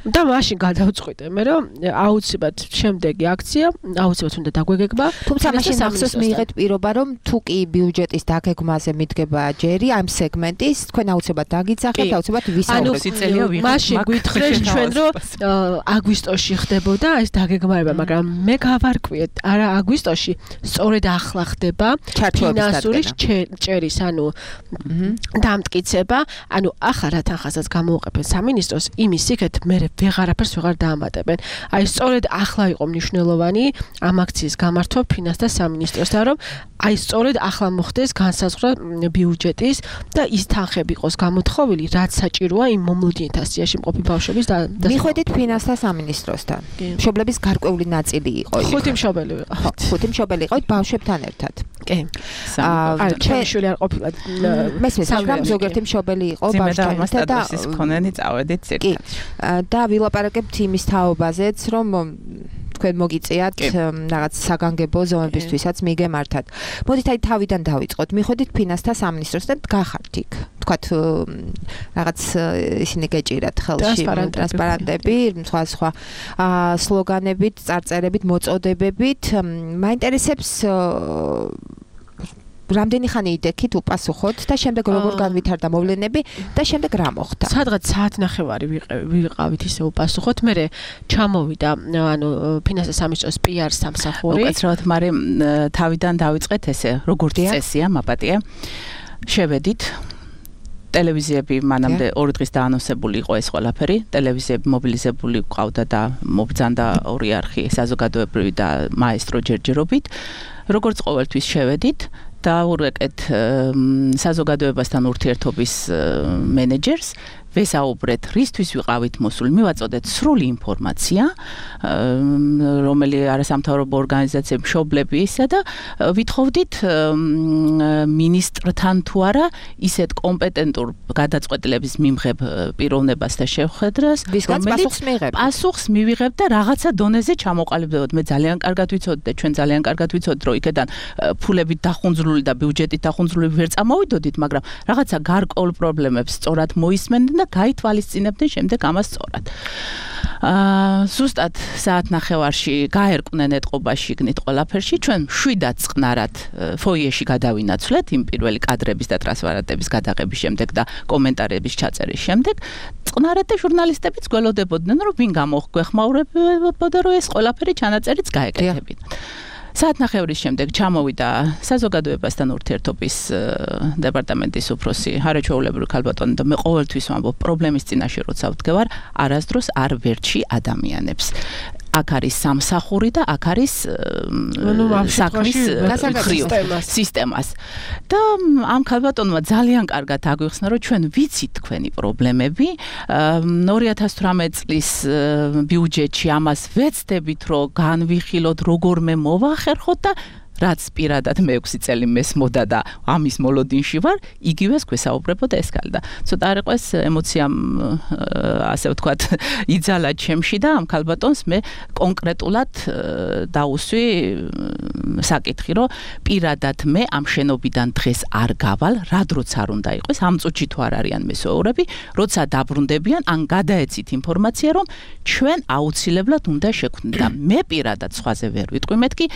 და მაშინ გადავწყვიტე მე, რომ აუცილებლად შემდეგი აქცია, აუცილებლად უნდა დაგვეგება. თუმცა მაშინ ახსოვს მიიღეთ პირობა, რომ თუ კი ბიუჯეტის დაგეგმაზე მიდგება ჯერი ამ სეგმენტის, თქვენ აუცილებლად დაგიძახებთ, აუცილებლად ვისაუბრებთ. მაშინ გითხრეს ჩვენ, რომ აგვისტოში ხდებოდა ეს დაგეგმარება, მაგრამ მე გავარკვიეთ, არა აგვისტოში, სწორედ ახლა ხდება ფინანსური ჭერის, დამტკიცება, ახლა რა თანხასაც გამოუყენებენ სამინისტროს, იმის იქეთ მე ვეღარაფერს ვეღარ დაამატებენ. აი სწორედ ახლა იყო მნიშვნელოვანი ამ აქციის გამართვა ფინანსთა სამინისტროსთან, რომ აი სწორედ ახლა მოხდეს განსაზღვრა ბიუჯეტის და ის თანხები იყოს გამოთხოვილი, რაც საჭიროა იმ მომლოდნელთა სიაში მყოფი ბავშვების მიხვედით ფინანსთა სამინისტროსთან. მშობლების გარკვეული ნაწილი იყო. 5 მშობელი ვიყავით. 5 მშობელი იყავით ბავშვებთან ერთად. კი. ჩემი შვილი არ ყოფილა. მესმის, მაგრამ ზოგიერთი მშობელი იყო ბავშვთან ერთად და ის მქონენი წავედით ცირკად. და ვილაპარაკებთ იმის თაობაზეც, რომ თქვენ მოგიწიათ რაღაც საგანგებო ზომებისთვისაც მიგემართათ. მოდით აი თავიდან დავიწყოთ. მიხვედით ფინანსთა სამინისტროსთან გახართ იქ. თქვათ რაღაც ისინი გეჭირათ ხელში ტრანსპარენტები, სხვა სლოგანებით, წარწერებით, მოწოდებებით. მაინტერესებს რამდენი ხანი იდექით უპასუხოთ და შემდეგ როგორ განვითარდა მოვლენები და შემდეგ რა მოხდა? სადღაც საათნახევარი ვიყავით ისე უპასუხოთ. მე ჩამოვიდა ფინანსთა სამინისტროს PR სამსახური. უკაცრავად, მაგრამ თავიდან დავიწყეთ ესე, როგორც წესია, მაპატია. შევედით ტელევიზიები მანამდე 2 დღის დაანონსებული იყო ეს ყველაფერი. ტელევიზიები მობილიზებული ყავდა და მობრძანდა 2 არხი საზოგადოებრივი და მაესტრო ჯერჯერობით. როგორც ყოველთვის შევედით და ურეკეთ საზოგადოებასთან ურთიერთობის მენეჯერს, ვესაუბრეთ, რისთვის ვიყავით მოსული, მივაწოდეთ სრული ინფორმაცია, რომელი არასამთავრობო ორგანიზაციების მშობლებისა და ვითხოვდით მინისტრთან თუ არა ისეთ კომპეტენტურ გადაწყვეტილების მიმღებ პიროვნებას და შეხვედრას, რომელიც პასუხს მივიღებ და რაღაცა დონეზე ჩამოყალიბდებოდ. მე ძალიან კარგად ვიცოდი და ჩვენ ძალიან კარგად ვიცოდი, რომ იქედან ფულებით დახუნძრული და ბიუჯეტით დახუნძრული ვერ წამოვიდოდით, მაგრამ რაღაცა გარკვეულ პრობლემებს სწორად მოისმენდნენ და გაითვალისწინებდნენ შემდეგ ამას სწორად. ზუსტად საათნახევარში გაერკვნენ ეტყობაში იქნით ყველაფერში, ჩვენ 7-დან წყნარად ფოიეში გადავინაცვლეთ იმ პირველი კადრების და ტრანსპარენტების გადაღების შემდეგ და კომენტარების ჩაწერის შემდეგ. წყნარად და ჟურნალისტებიც გველოდებოდნენ, რომ ვინ გამოგვეხმაურებოდა, რომ ეს ყველაფერი ჩანაწერიც გაეკეთებინათ. საათნახევრის შემდეგ ჩამოვიდა საზოგადოებასთან ურთიერთობის დეპარტამენტის უფროსი ჰარეჩვეულებრივი ქალბატონი და მე ყოველთვის ვამბობ, პრობლემის წინაშე როცა ვდგევარ, არასდროს არ ვერჩი ადამიანებს. აქ არის სამსახური და აქ არის საქმის სისტემას. და ამ ქალბატონმა ძალიან კარგად აგვიხსნა, რომ ჩვენ ვიცით თქვენი პრობლემები. 2018 წლის ბიუჯეტში ამას ვეცდებით, რომ განვიხილოთ, როგორმე მოვახერხოთ და რაც პირადად მე 6 წელი მესმოდა და ამის მოლოდინში ვარ, იგივეს გვესაუბრებოდა ეს კაცი და ცოტა არ იყო ეს ემოციამ ასე ვთქვათ იძალა ჩემში და ამ ქალბატონს მე კონკრეტულად დაუსვი საკითხი, რომ პირადად მე ამ შენობიდან დღეს არ გავალ, რა დროც არ უნდა იყოს, ამ წუთში თუ არ არიან მესვეურები, როცა დაბრუნდებიან, ან გადაეცით ინფორმაცია, რომ ჩვენ აუცილებლად უნდა შეგვქნით და მე პირადად სხვაზე ვერ ვიტყვი, მეთქი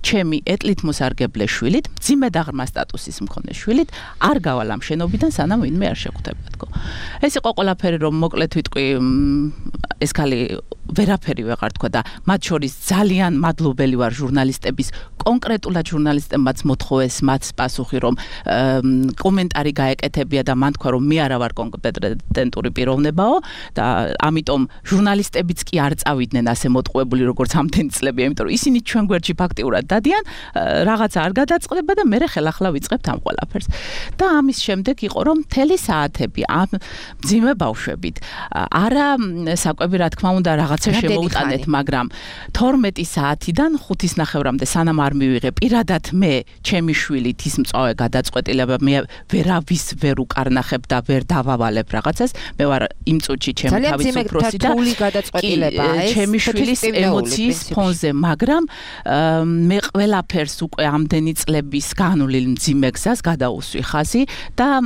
ჩემი ეტლით მოსარგებლე შვილით, მძიმე დაღრმა სტატუსის მქონე შვილით არ გავალ ამ შენობიდან, სანამ ვინმე არ შეხვდებოდგო. ეს იყო ყველაფერი, რომ მოკლედ ვიტყვი, ეს ქალი ვერაფერი ვეღარ თქვა და მათ შორის ძალიან მადლობელი ვარ ჟურნალისტების, კონკრეტულად ჟურნალისტებმაც მოთხოვეს მათ პასუხი, რომ კომენტარი გაეკეთებია და მან თქვა, რომ მე არა ვარ კომპეტენტური პიროვნებაო და ამიტომ ჟურნალისტებიც კი არ წავიდნენ ასე მოტყუებული, როგორც ამდენი წლებია, იმიტომ რომ ისინი ჩვენ გვერდში ფაქტიურად დადიან, რაღაცა არ გადაწყდება და მე ხელახლა ვიწყებთ ამ ყველაფერს. და ამის შემდეგ იყო, რომ მთელი საათები ამ მძიმე ბავშვებით, არა საკვები რა თქმა უნდა რაღაცა შემოუტანეთ, მაგრამ 12 საათიდან 5:30-მდე სანამ არ მივიღე პირადად მე ჩემი შვილით ის მწვავე გადაწყვეტილება მე ვერავის ვერ უკარნახებ და ვერ დავავალებ რაღაცას, მე ვარ იმ წუთში ჩემი თავის უფროსი და ჩემი შვილის ემოციის ფონზე, მაგრამ მე ყველაფერს უკვე ამდენი წლების განვლილ მძიმე გზას გადაუსვი ხაზი და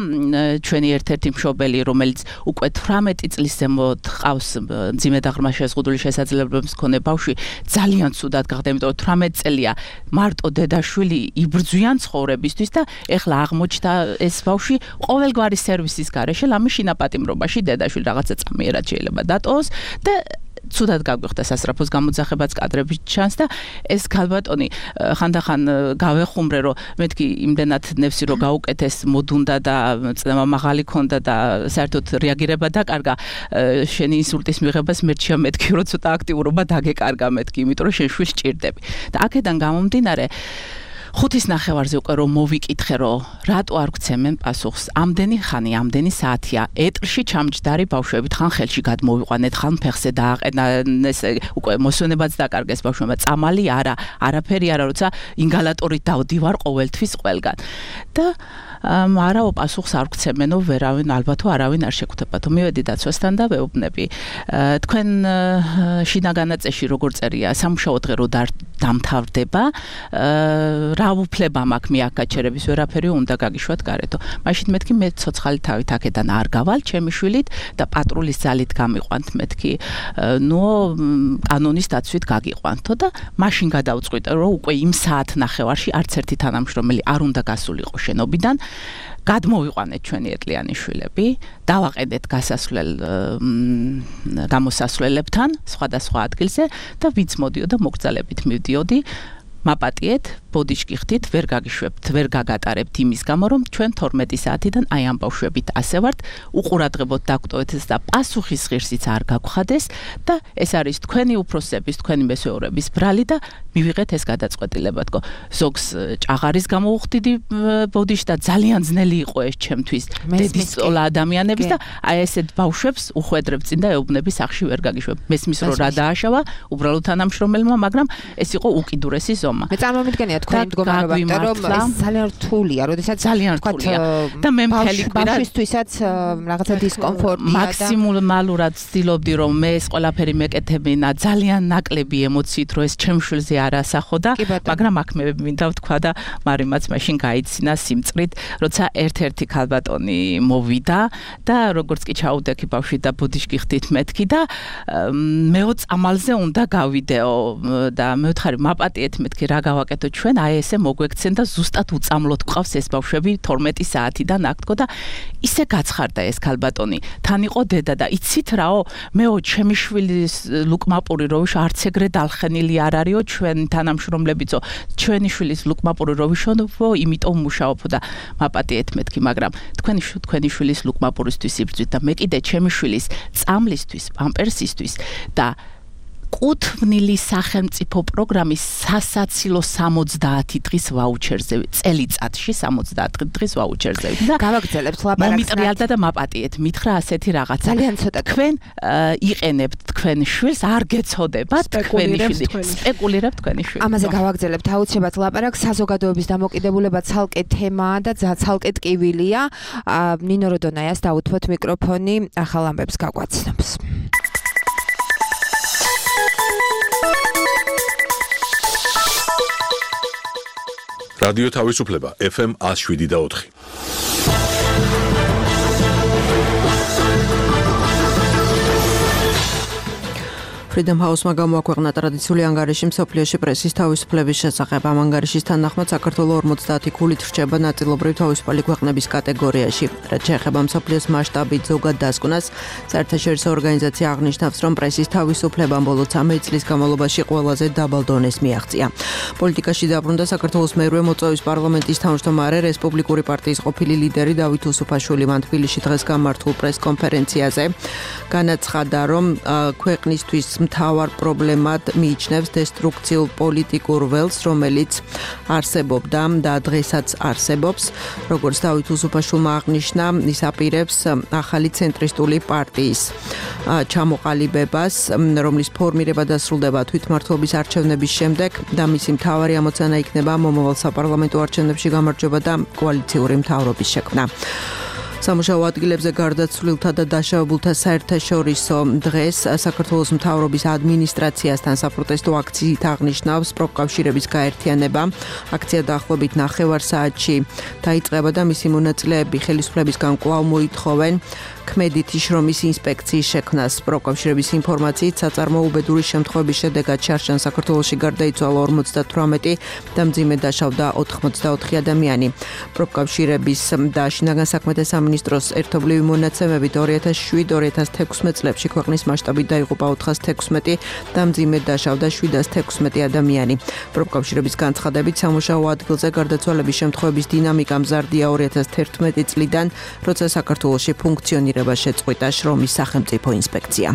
ჩვენი ერთ-ერთი მშობელი, რომელიც უკვე 18 წლის ზემოთ ყავს მძიმე დაღრმა შეზღუდული შესაძლებლობების მქონე ბავშვი, ძალიან ცუდად გახდა, იმიტომ რომ 18 წელია მარტო დედაშვილი იბრძვიან ცხოვრებისთვის და ეხლა აღმოჩნდა ეს ბავშვი ყოველგვარი სერვისის გარეშე, ლამის შინაპატიმრობაში დედაშვილი რაღაცა წამიერად შეიძლება დატოვოს და ცუდად გაგვიხდა სასწრაფოს გამოძახებაც კადრებში ჩანს და ეს ქალბატონი ხანდახან გავეხუმრე, რომ მეთქი იმდენად ნევსი რო გაუკეთეს, მოდუნდა და წნევა მაღალი ქონდა და საერთოდ რეაგირება დაკარგა შენი ინსულტის მიღებას, მერჩია მეთქი რომ ცოტა აქტიურობა დაგეკარგა მეთქი, იმიტომ რომ შენ შვილს ჭირდები. და აქედან გამომდინარე 5:30-ზე უკვე რომ მოვიკითხე, რომ რატო არ გცემენ პასუხს, ამდენი ხანი, ამდენი საათია, ეტრში ჩამჯდარი ბავშვებით, ხან ხელში გადმოვიყვანეთ, ხან ფეხზე დააყენეს, უკვე მოსვენებაც დაკარგეს ბავშვებმა, წამალი არა, არაფერი არა, როცა ინგალატორით დავდივარ ყოველთვის ყველგან. და არაო პასუხს არ გცემენო ვერავინ, ალბათო არავინ არ შეგვხვდებათო. მივედი დაცვასთან და ვეუბნები. თქვენ შინაგანაწესში როგორ წერია, სამუშაო დღე რო დამთავრდება, რა უფლება მაქვს მე აქ გაჩერების, ვერაფერი უნდა გაგიშვათ გარეთო. მაშინ მეთქი მე ცოცხალი თავით აქედან არ გავალ ჩემი შვილით და პატრულის ძალით გამიყვანთ მეთქი. ნუ კანონის დაცვით გაგიყვანთო და მაშინ გადავწყვიტე, რომ უკვე იმ საათ ნახევარში არც ერთი თანამშრომელი არ უნდა გასულიყო შენობიდან. გადმოვიყვანეთ ჩვენი ეტლიანი შვილები, დავაყენეთ გამოსასვლელებთან სხვადასხვა ადგილზე და ვინც მოდიოდა მოგრძალებით მივდიოდი, მაპატიეთ, ბოდიშკი ხდით, ვერ გაგიშვებთ, ვერ გაგატარებთ იმის გამო, რომ ჩვენ 12 საათიდან აი ამ ბავშვებით ასე ვართ, უყურადღებოდ დაგვტოვეთ და პასუხის ღირსიც არ გაგხადეს და ეს არის თქვენი უფროსების, თქვენი მესვეურების ბრალი და მივიღეთ ეს გადაწყვეტილება. თქო, ზოგს ჭაღარის გამო უხდიდი ბოდიში და ძალიან ძნელი იყო ეს ჩემთვის დედის წოლა ადამიანების და აი ესეთ ბავშვებს უხვედრებ წინ და ეუბნები სახში ვერ გაგიშვებ. მესმის რომ რა დააშავა, უბრალოდ თანამშრომელმა, მაგრამ ეს იყო უკიდურესი ზომა. მე წარმომიდგენია თქვენი მდგომარეობა, რომ ეს ძალიან რთულია, როდესაც ძალიან რთულია და მე მთელი კვირა ბავშვისთვისაც რაღაცა დისკომფორტია და მაქსიმალურად ვცდილობდი, რომ მე ეს ყველაფერი მეკეთებინა ძალიან ნაკლები ემოციით, რომ ეს ჩემ შვილზე არ ასახო და მაგრამ აქ მე მინდა ვთქვა და მარიმაც მაშინ გაიცინა სიმწრით, როცა ერთ-ერთი ქალბატონი მოვიდა და როგორც კი ჩაუდექი ბავშვი და ბუდიშკი ხდით მეთქი და მეო წამალზე უნდა გავიდეო და მე ვთხარი მაპატიეთ მეთქი რა გავაკეთო ჩვენ, აი ესე მოგვექცენ და ზუსტად უწამლოდ გვყავს ეს ბავშვები 12 საათიდან აქ თქო და ისე გაცხარდა ეს ქალბატონი. თან იყო დედა და იცით რაო, მეო ჩემი შვილის ლუკმაპური როვიშ არც ეგრე დალხენილი არ არისო ჩვენ თანამშრომლებიცო, ჩვენი შვილის ლუკმაპური როვიშონო, იმიტომ მუშაობო და მაპატიეთ მეთქი, მაგრამ თქვენი შვილის ლუკმაპურისთვის იბრძვით და მე კიდე ჩემი შვილის წამლისთვის, პამპერსისთვის და კუთვნილი სახელმწიფო პროგრამის სასაცილო 70 დღის ვაუჩერზე წელიწადში 70 დღის ვაუჩერზე და გავაგრძელებთ ლაპარაკს მომიტრიალდა და მაპატიეთ მითხრა ასეთი რაღაცა ძალიან ცოტა თქვენ იყენებთ თქვენ შვილს არ გეცოდებათ თქვენი შვილი სპეკულირებთ თქვენი შვილი ამაზე გავაგრძელებთ აუცილებლად ლაპარაკს საზოგადოების დამოკიდებულება ცალკე თემაა და ცალკე ტკივილია ნინო როდონაიას დაუთმოთ მიკროფონი ახალ ამბებს გაგვაცნობს რადიო თავისუფლება FM 107.4 Freedom House-მა გამოაქვეყნა ტრადიციული ანგარიში მსოფლიოში პრესის თავისუფლების შესახებ. ამ ანგარიშის თანახმად საქართველოს 50 ქულით რჩება ნაწილობრივ თავისუფალი ქვეყნების კატეგორიაში. რაც შეეხება მსოფლიოს მასშტაბით ზოგად დასკვნას, საერთაშორისო ორგანიზაცია აღნიშნავს, რომ პრესის თავისუფლებამ ბოლო 13 წლის განმავლობაში ყველაზე დაბალ დონეს მიაღწია. პოლიტიკაში დაბრუნდა საქართველოს მერვე მოწვევის პარლამენტის თავმჯდომარე რესპუბლიკური პარტიის ყოფილი ლიდერი დავით უსუფაშვილი მან თბილისში დღეს გამართულ პრეს-კონფერენციაზე განაცხადა, რომ ქვეყნისთვის მთავარ პრობლემად მიიჩნევს დესტრუქციულ პოლიტიკურ ველს, რომელიც არსებობდა და დღესაც არსებობს. როგორც დავით უსუფაშვილმა აღნიშნა, ის აპირებს ახალი ცენტრისტული პარტიის ჩამოყალიბებას, რომლის ფორმირება დასრულდება თვითმმართველობის არჩევნების შემდეგ და მისი მთავარი ამოცანა იქნება მომავალ საპარლამენტო არჩევნებში გამარჯვება და კოალიციური მთავრობის შექმნა. სამუშაო ადგილებზე გარდაცვლილთა და დაშავებულთა საერთაშორისო დღეს საქართველოს მთავრობის ადმინისტრაციასთან საპროტესტო აქციით აღნიშნავს პროფკავშირების გაერთიანება. აქცია დაახლოებით 9 საათში დაიწყება და მისი მონაწილეები ხელისუფლებისგან კვლავ მოითხოვენ ქმედითი შრომის ინსპექციის შექმნას. პროფკავშირების ინფორმაციით საწარმოო უბედური შემთხვევების შედეგად შარშან საქართველოში გარდაიცვალა 58 და მძიმედ დაშავდა 84 ადამიანი. პროფკავშირების და შინაგან საქმეთა სამინისტროს ერთობლივი მონაცემებით 2007-2016 წლებში ქვეყნის მასშტაბით დაიღუპა 416 და მძიმედ დაშავდა 716 ადამიანი. პროფკავშირების განცხადებით სამუშაო ადგილზე გარდაცვალების შემთხვევების დინამიკა მზარდია 2011 წლიდან, როცა საქართველოში ფუნქციონირება შეწყვიტა შრომის სახელმწიფო ინსპექცია.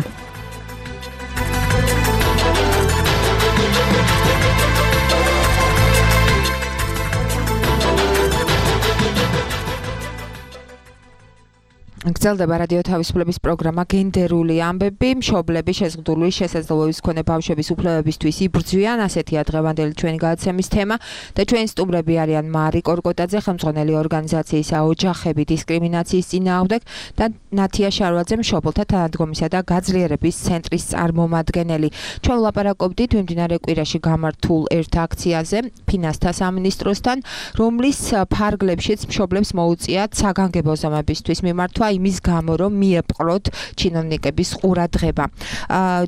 გრძელდება რადიო თავისუფლების პროგრამა გენდერული ამბები, მშობლები შეზღუდული შესაძლებლობის მქონე ბავშვების უფლებებისთვის იბრძვიან, ასეთია დღევანდელი ჩვენი გადაცემის თემა და ჩვენი სტუმრები არიან მარი კორკოტაძე, ხელმძღვანელი ორგანიზაციის ოჯახები დისკრიმინაციის წინააღმდეგ და ნათია შარვაძე, მშობელთა თანადგომისა და გაძლიერების ცენტრის წარმომადგენელი. ჩვენ ვლაპარაკობდით მიმდინარე კვირაში გამართულ ერთ აქციაზე ფინანსთა სამინისტროსთან, რომლის ფარგლებშიც მშობლებს მოუწიათ საგანგებო ზომებისთვის მიმართვა იმის გამო, რომ მიეპყროთ ჩინოვნიკების ყურადღება.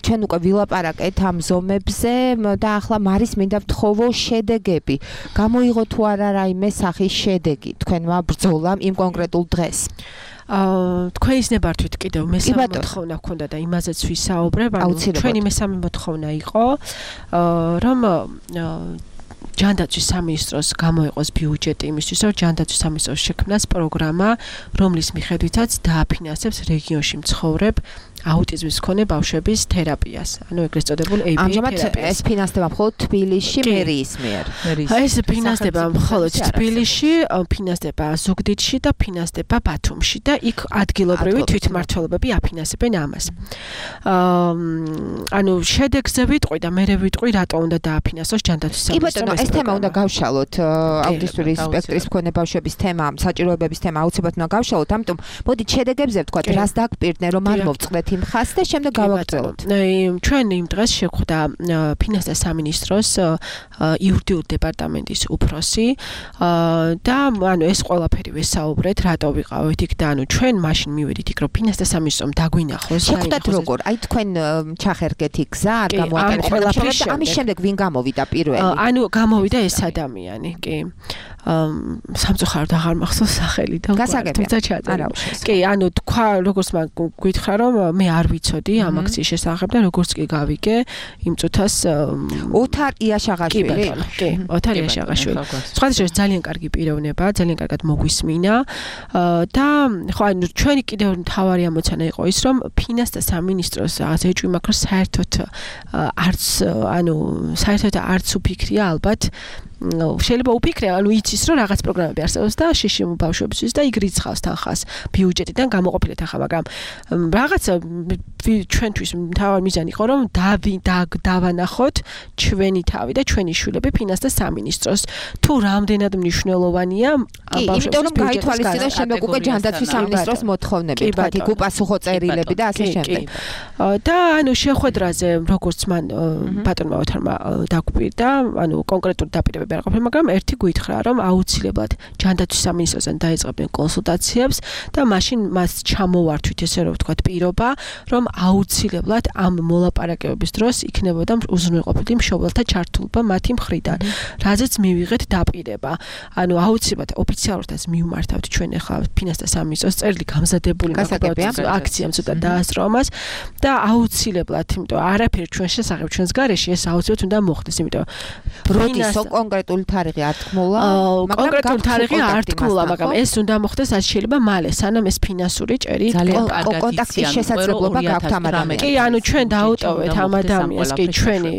ჩვენ უკვე ვილაპარაკეთ ამ ზომებზე და ახლა მარის მინდა ვთხოვო შედეგები. გამოიღო თუ არა რაიმე სახის შედეგი თქვენმა ბრძოლამ იმ კონკრეტულ დღეს? თქვენის ნებართვით კიდევ მესამე მოთხოვნა ჰქონდა და იმაზეც ვისაუბრებ. ჩვენი მესამე მოთხოვნა იყო, რომ ჯანდაცვის სამინისტროს გამოიყოს ბიუჯეტი იმისთვის, რომ ჯანდაცვის სამინისტროს შექმნას პროგრამა, რომლის მიხედვითაც დააფინანსებს რეგიონში მცხოვრებ აუტიზმის მქონე ბავშვების თერაპიას. ანუ ეგრეთ წოდებულ ABA თერაპიას. ეს ფინანსდება მხოლოდ თბილისში მერიის მიერ. ეს ფინანსდება მხოლოდ თბილისში, ფინანსდება ზუგდიდში და ფინანსდება ბათუმში და იქ ადგილობრივი თვითმმართველობები აფინანსებენ ამას. ანუ შედეგზე ვიტყვი და მერე ვიტყვი რატო უნდა დააფინანსოს ჯანდაცვის სამინისტროს. ეს თემა უნდა გავშალოთ, აუტისტური სპექტრის მქონე ბავშვების თემა, საჭიროებების თემა აუცილებლად უნდა გავშალოთ, ამიტომ მოდით შედეგებზე ვთქვათ, რას დაგპირდნენ, რომ არ მოვწყდეთ იმ ხაზს და შემდეგ გავაგრძელოთ. ჩვენ იმ დღეს შეხვდა ფინანსთა სამინისტროს იურიდიულ დეპარტამენტის უფროსი და ანუ ეს ყველაფერი ვესაუბრეთ, რატო ვიყავით იქ და ანუ ჩვენ მაშინ მივედით იქ, რომ ფინანსთა სამინისტრომ დაგვინახოს. შეხვდათ როგორ? აი თქვენ ჩახერგეთ იქ გზა, არ გამოატარეთ. ამის შემდეგ ვინ გამოვიდა პირველი? ანუ გამოვიდა ეს ადამიანი, კი. სამწუხაროდ აღარ მახსოვს სახელი და თუმცა ჩაწერა. კი, ანუ თქვა, როგორც მაგ გითხრა, რომ მე არ ვიცოდი ამ აქციის შესახებ და როგორც კი გავიგე, იმ წუთას ოთარ იაშაღაშვილი. კი, ოთარ იაშაღაშვილი. სხვადასხვა ძალიან კარგი პიროვნება, ძალიან კარგად მოგვისმინა და ხო, ანუ ჩვენი კიდევ მთავარი ამოცანა იყო ის, რომ ფინანსთა სამინისტროს რაღაც ეჭვი მაქვს, რომ საერთოდ არც უფიქრია ალბათ შეიძლება უფიქრე, ანუ იცის რომ რაღაც პროგრამები არსებობს და შიშიმ ბავშვებისთვის და იქ რიცხავს თანხას ბიუჯეტიდან გამოყოფილეთ ახლა, მაგრამ რაღაც ჩვენთვის მთავარი მიზანი იყო რომ დავანახოთ ჩვენი თავი და ჩვენი შვილები ფინანსთა სამინისტროს თუ რამდენად მნიშვნელოვანია ბავშვების იმიტომ რომ გაითვალისწინოს შემდეგ უკვე ჯანდაცვის სამინისტროს მოთხოვნები, თქვა იქ უპასუხო წერილები და ასე შემდეგ. და ანუ შეხვედრაზე როგორც მან ბატონმა ოთარმა დაგვირდა, ანუ კონკრეტული დაპირებები არ ყოფილა, მაგრამ ერთი გითხრა რომ აუცილებლად ჯანდაცვის სამინისტროსთან დაიწყებდნენ კონსულტაციებს და მაშინ მას ჩამოვართვით ესე რომ ვთქვათ პირობა, რომ აუცილებლად ამ მოლაპარაკებების დროს იქნებოდა უზრუნველყოფილი მშობელთა ჩართულობა მათი მხრიდან, რაზეც მივიღეთ დაპირება. ანუ აუცილებლად ოფიციალურადაც მივმართავთ ჩვენ ახლა ფინანსთა სამინისტროს წერილი გამზადებული აქციამ ცოტა დაასწრო მას და აუცილებლად, იმიტომ არაფერი ჩვენ შესახებ ჩვენს გარეშე ეს აუცილებლად უნდა მოხდეს, იმიტომ როდის კონკრეტული თარიღი არ თქმულა, კონკრეტული თარიღი არ თქმულა, მაგრამ ეს უნდა მოხდეს რაც შეიძლება მალე, სანამ ეს ფინანსური ჭერი კონტაქტის შესაძლებლობა გაქვთ ამ ადამიანს. კი, ანუ ჩვენ დაუტოვეთ ამ ადამიანს, კი, ჩვენი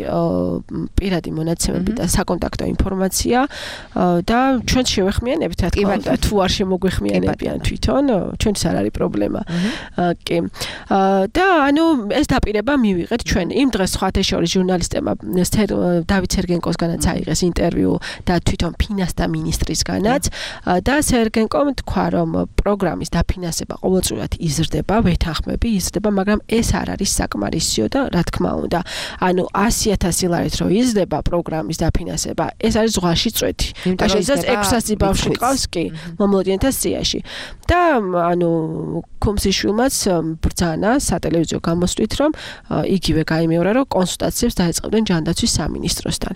პირადი მონაცემები და საკონტაქტო ინფორმაცია და ჩვენ შევეხმიანებით, რა თქმა უნდა, თუ არ შემოგვეხმიანებიან თვითონ, ჩვენც არ არის პრობლემა. კი. და ანუ ეს დაპირება მივიღეთ ჩვენ. იმ დღეს სხვათა შორის ჟურნალისტებმა დავით სერგენკოსგანაც აიღეს ინტერვიუ და თვითონ ფინანსთა მინისტრისგანაც და სერგენკომ თქვა, რომ პროგრამის დაფინანსება ყოველწლიურად იზრდება, ვეთანხმები იზრდება, მაგრამ ეს არ არის საკმარისიო და რა თქმა უნდა, ანუ 100,000 ლარით რო იზრდება პროგრამის დაფინანსება, ეს არის ზღვაში წვეთი. შეიძლება 600 ბავშვი ყავს, კი, მომლოდიანთა სიაში. და ანუ კომსიშვილმაც ბრძანა სატელევიზიო გამოსვლით, რომ იგივე გაიმეორა, რომ კონსულტაციებს დაეწყებდნენ ჯანდაცვის სამინისტროსთან.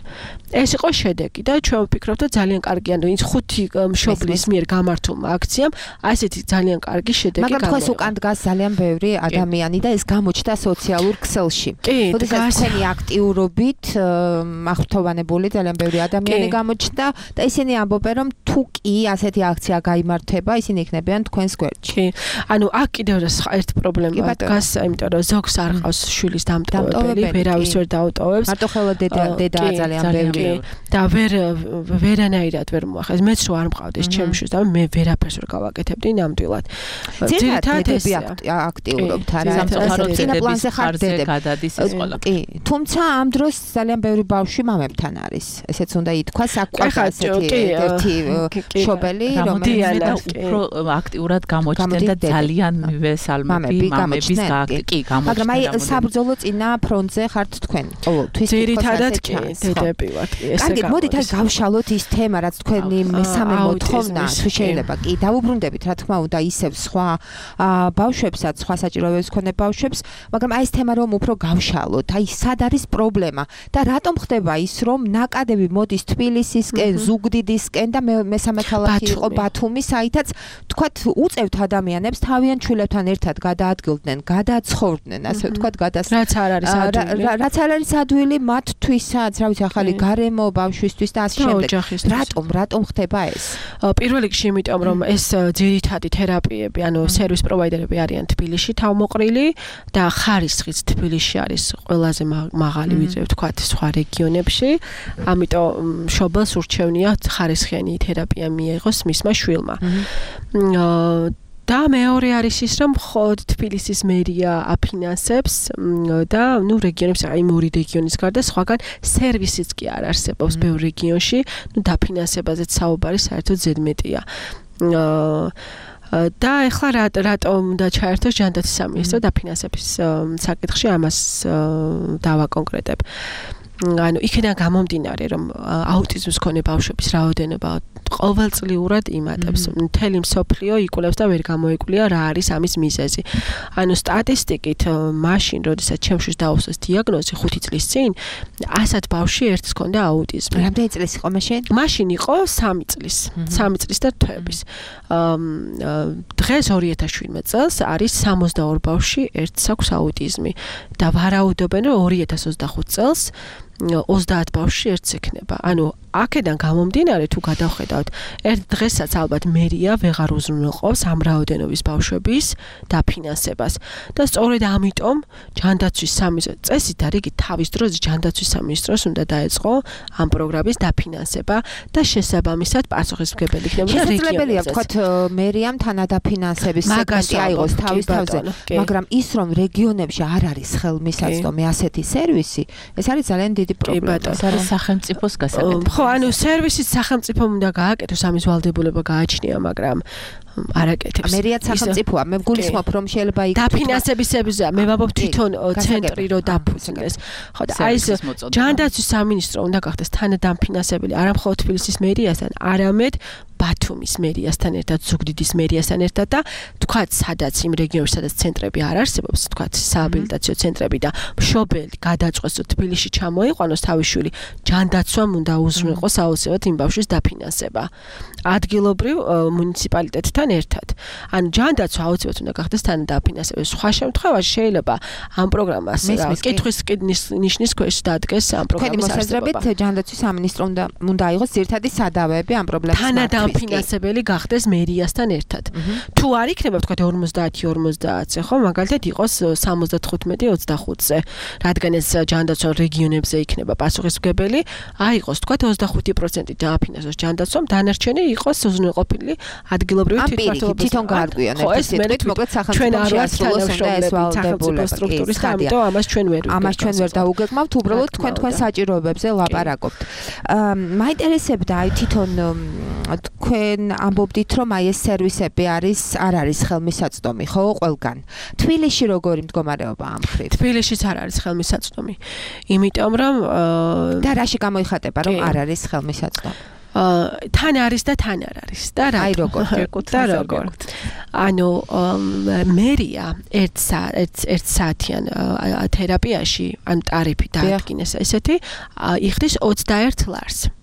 ეს იყო შედეგი და ჩვენ ვფიქრობთ, რომ ძალიან კარგი, ანუ ის 5 მშობლის მიერ გამართულმა აქციამ ასეთი ძალიან კარგი შედეგი გამოიღო. მაგრამ ეს უკან დგას ძალიან ბევრი ადამიანი და ეს გამოჩნდა სოციალურ ქსელში. როდესაც თქვენი აქტიურობით აღფრთოვანებული ძალიან ბევრი ადამიანი გამოჩნდა და ისინი ამბობენ, რომ თუ კი ასეთი აქცია გაიმართება, ისინი იქნებიან თქვენს გვერდში. ანუ აქ კიდევ ერთი პრობლემა დგას, იმიტომ რომ ზოგს არ ყავს შვილის დამტოვებელი, ვერავის ვერ დაუტოვებს. მარტო ხელა დედა ძალიან ბევრი და ვერანაირად ვერ მოახერხეს. მეც რო არ მყავდეს ჩემს შვილს და მე ვერაფერს ვერ გავაკეთებდი ნამდვილად. ძირითადად დედები აქტიურობთ არა, წინა პლანზე ხარ დედები. კი, თუმცა ამ დროს ძალიან ბევრი ბავშვი მამებთან არის. ესეც უნდა ითქვას, აქ ყავს ასეთი ერთი მშობელი, რომელიც უფრო აქტიურად გამოჩნდა და ძალიან მივესალმები მამების კი გამოჩნდა. მაგრამ აი საბრძოლო წინა ფრონტზე ხართ თქვენ ყოველთვის. ძირითადად კი დედები ვართ. კარგი, მოდით აი გავშალოთ ის თემა, რაც თქვენი მესამე მოთხოვნა, თუ შეიძლება კი დავუბრუნდებით, რა თქმა უნდა, ისევ სხვა ბავშვებსაც, სხვა საჭიროებებს მქონე ბავშვებს, მაგრამ აი ეს თემა რომ უფრო გავშალოთ, აი სად არის პრობლემა და რატომ ხდება ის, რომ ნაკადები მოდის თბილისისკენ, ზუგდიდისკენ და მესამე ქალაქი იყო ბათუმი, საითაც თქვათ უწევთ ადამიანებს თავიანთ შვილებთან ერთად გადაადგილდნენ, გადაცხოვრდნენ, ასე ვთქვათ, რაც არ არის ადვილი. რაც არ არის ადვილი მათთვისაც, რა ვიცი, ახალი გარემო ბავშვისთვის და ასე შემდეგ. რატომ ხდება ეს? პირველ რიგში იმიტომ, რომ ეს ძირითადი თერაპიები, ანუ სერვის პროვაიდერები არიან თბილისში თავმოყრილი და ხარისხიც თბილისში არის ყველაზე მაღალი, ვიდრე ვთქვათ სხვა რეგიონებში. ამიტომ მშობელს ურჩევნია ხარისხიანი თერაპია მიიღოს მისმა შვილმა. და მეორე არის ის, რომ ხოდ თბილისის მერია აფინანსებს და ნუ რეგიონებს, აი ორი რეგიონის გარდა სხვაგან სერვისიც კი არ არსებობს ბევრ რეგიონში, ნუ დაფინანსებაზეც საუბარი საერთოდ ზედმეტია. და ეხლა რატომ უნდა ჩაერთოს ჯანდაცვის სამინისტრო დაფინანსების საკითხში, ამას დავაკონკრეტებ. ანუ იქიდან გამომდინარე, რომ აუტიზმის მქონე ბავშვების რაოდენობა ყოველწლიურად იმატებს. მთელი მსოფლიო იკვლევს და ვერ გამოიკვლია რა არის ამის მიზეზი. ანუ სტატისტიკით მაშინ, როდესაც ჩემშვის დაუსვეს დიაგნოზი 5 წლის წინ, 100 ბავშვი ერთს ჰქონდა აუტიზმი. რამდენი წლის იყო მაშინ? მაშინ იყო 3 წლის. 3 წლის და თვეების. დღეს 2017 წელს არის 62 ბავშვი ერთს აქვს აუტიზმი და ვარაუდობენ რომ 2025 წელს 30 ბავშვი ერთს ექნება. ანუ აქედან გამომდინარე თუ გადავხედავთ, ერთ დღესაც ალბათ მერია ვეღარ უზრუნველყოფს ამ რაოდენობის ბავშვების დაფინანსებას. და სწორედ ამიტომ ჯანდაცვის სამინისტრო წესით რიგი თავის დროზე ჯანდაცვის სამინისტროს უნდა დაეწყო ამ პროგრამის დაფინანსება და შესაბამისად პასუხისმგებელი იქნება რეგიონებზე. შესაძლებელია ვთქვათ მერიამ თანადაფინანსების სეგმენტი აიღოს თავის თავზე, მაგრამ ის რომ რეგიონებში არ არის ხელმისაწვდომი ასეთი სერვისი, ეს არის ძალიან დიდი პრობლემა. ეს არის სახელმწიფოს გასაკეთებელი. ხო, ანუ სერვისის სახელმწიფომ უნდა გააკეთოს, ამის ვალდებულება გააჩნია, მაგრამ არაკეთებს. მერიაც სახელმწიფოა, მე გულისხმობ რომ შეიძლება იქ დაფინანსებისებზე მე ვაბობ თვითონ ცენტრი რო დაფუძნდეს. ხო და აი ეს ჯანდაცვის სამინისტრო უნდა გახდეს თანადამფინანსებელი არა მხოლოდ თბილისის მერიასთან, არამედ ბათუმის მერიასთან ერთად, ზუგდიდის მერიასთან ერთად და თქვათ სადაც იმ რეგიონებში სადაც ცენტრები არ არსებობს, თქვათ სააბილიტაციო ცენტრები და მშობელი გადაწყვეტს თბილისში ჩამოიყვანოს თავის შვილი, ჯანდაცვამ უნდა უზრუნველყოს აუცილებლად იმ ბავშვის დაფინანსება. ადგილობრივ მუნიციპალიტეტთან ერთად. ანუ ჯანდაცვა აუცილებლად უნდა გახდეს თანადაფინანსებელი. სხვა შემთხვევაში შეიძლება ამ პროგრამას კითხვის ნიშნის ქვეშ დადგეს ამ პროგრამის არსებობა. მოსაზრებით ჯანდაცვის სამინისტრო უნდა აიღოს ძირითადი სადავეები ამ პრობლემის დაფინანსებელი გახდეს მერიასთან ერთად. თუ არ იქნება თქვა 50-50-ზე, ხო, მაგალითად იყოს 75-25-ზე, რადგან ეს ჯანდაცვა რეგიონებზე იქნება პასუხისმგებელი, აიღოს თქვა 25% დააფინანსოს ჯანდაცვამ, დანარჩენი იყოს უზრუნველყოფილი ადგილობრივი თვითმმართველობის. თვითონ გაარკვიონ ეს სიტყვით, მოკლედ სახელმწიფო შეასრულოს უნდა ეს ვალდებულება სტრუქტურის და ამიტომ ამას ჩვენ ვერ დაუგეგმავთ, უბრალოდ თქვენ საჭიროებებზე ლაპარაკობთ. მაინტერესებდა აი თვითონ თქვენ ამბობდით რომ აი ეს სერვისები არ არის ხელმისაწვდომი, ხო, ყველგან. თბილისში როგორი მდგომარეობა ამ მხრივ? თბილისშიც არ არის ხელმისაწვდომი. იმიტომ რომ და რაში გამოიხატება რომ არ არის ხელმისაწვდომი? თან არის და თან არ არის და რა. აი როგორ და როგორ. ანუ მერია 1 საათიან თერაპიაში, ანუ ტარიფი დაადგინეს ესეთი, იხდის 21 ლარს.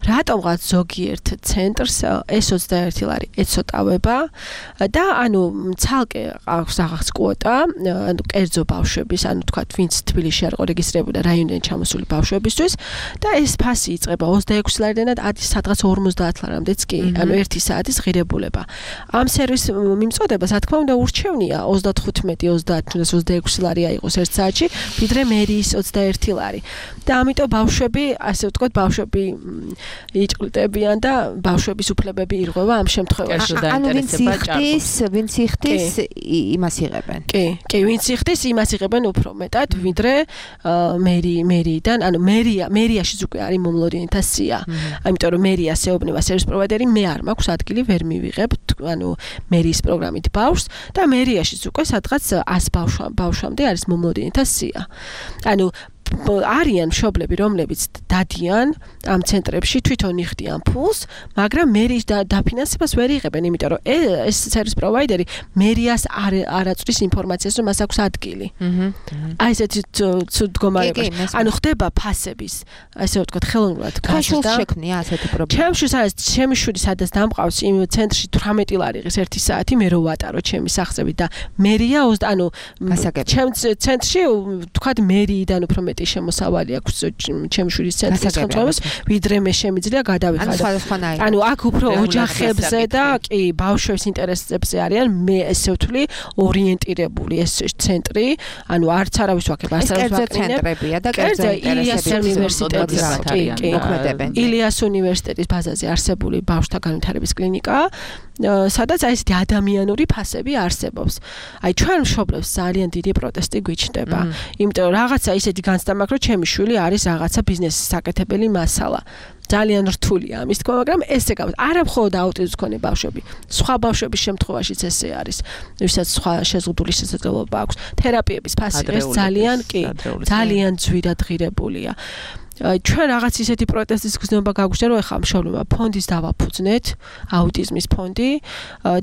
რატომღაც ზოგიერთ ცენტრს ეს 21 ლარი ეცოტავება და ანუ ცალკე აქვს რაღაც კვოტა, ანუ კერძო ბავშვების, ანუ თქვათ, ვინც თბილისში არ იყო რეგისტრირებული და რაიონიდან ჩამოსული ბავშვებისთვის და ეს ფასი იწყება 26 ლარიდან და სადღაც 50 ლარამდეც კი, ანუ 1 საათის ღირებულება. ამ სერვისის მიმწოდებას, რა თქმა უნდა, ურჩევნია 35-30-26 ლარი აიღოს 1 საათში, ვიდრე მერიის 21 ლარი. და ამიტომ ბავშვები, ასე ვთქვათ, ბავშვები იჭყლტებიან და ბავშვების უფლებები ირღვევა ამ შემთხვევაში. ანუ ვინც იხდის იმას იღებენ. კი, ვინც იხდის იმას იღებენ უფრო მეტად, ვიდრე მერიიდან, ანუ მერიაშიც უკვე არის მომლოდიანთა სია. ამიტომ რომ მერიას ეუბნება სერვის პროვაიდერი, მე არ მაქვს ადგილი, ვერ მივიღებ, ანუ მერიის პროგრამით ბავშვს და მერიაშიც უკვე სადღაც 100 ბავშვამდე არის მომლოდიანთა სია. ანუ არიან მშობლები, რომლებიც დადიან ამ ცენტრებში, თვითონ იხდიან ფულს, მაგრამ მერიის დაფინანსებას ვერ იღებენ, იმიტომ რომ ეს სერვის პროვაიდერი მერიას არ აწვდის ინფორმაციას, რომ მას აქვს ადგილი. აი ესეთი მდგომარეობაში. ანუ ხდება ფასების, ასე ვთქვათ, ხელოვნურად გაზრდა. შექმნია ასეთი პრობლემა. ჩემი შვილი სადაც დამყავს იმ ცენტრში 18 ლარი ღირს 1 საათი, მე რო ვატარო ჩემი სახსრებით და მერია, ანუ ჩემ ცენტრში ვთქვათ მერიიდან უფრო მეტი შემოსავალი აქვს ჩემი შვილის ცენტრის ხელმძღვანელს, ვიდრე მე შემიძლია გადავიხადო. ანუ აქ უფრო ოჯახებზე და კი ბავშვების ინტერესებზე არიან, მე ესე ვთვლი, ორიენტირებული ეს ცენტრი, ანუ არც არავის ვაკებ, არც არავის ცენტრებია და კერძო ინტერესების მოქმედებენ. ილიას უნივერსიტეტის ბაზაზე არსებული ბავშვთა განვითარების კლინიკა, სადაც აი ესეთი ადამიანური ფასები არსებობს. აი ჩვენ მშობლებს ძალიან დიდი პროტესტი გვიჩნდება. იმიტომ რომ რაღაცა ისეთი განცდა მაქვს, რომ ჩემი შვილი არის რაღაცა ბიზნესის საკეთებელი მასალა. ძალიან რთულია ამის თქმა, მაგრამ ესე გავა. არა მხოლოდ აუტიზმის მქონე ბავშვები, სხვა ბავშვების შემთხვევაშიც ესე არის. ვისაც სხვა შეზღუდული შესაძლებლობა აქვს. თერაპიების ფასი ეს ძალიან ძვირად ღირებულია. ჩვენ რაღაც ისეთი პროტესტის გზნობა გაგვჭირდა, რომ ეხლა მშობლებმა ფონდის დავაფუძნეთ, აუტიზმის ფონდი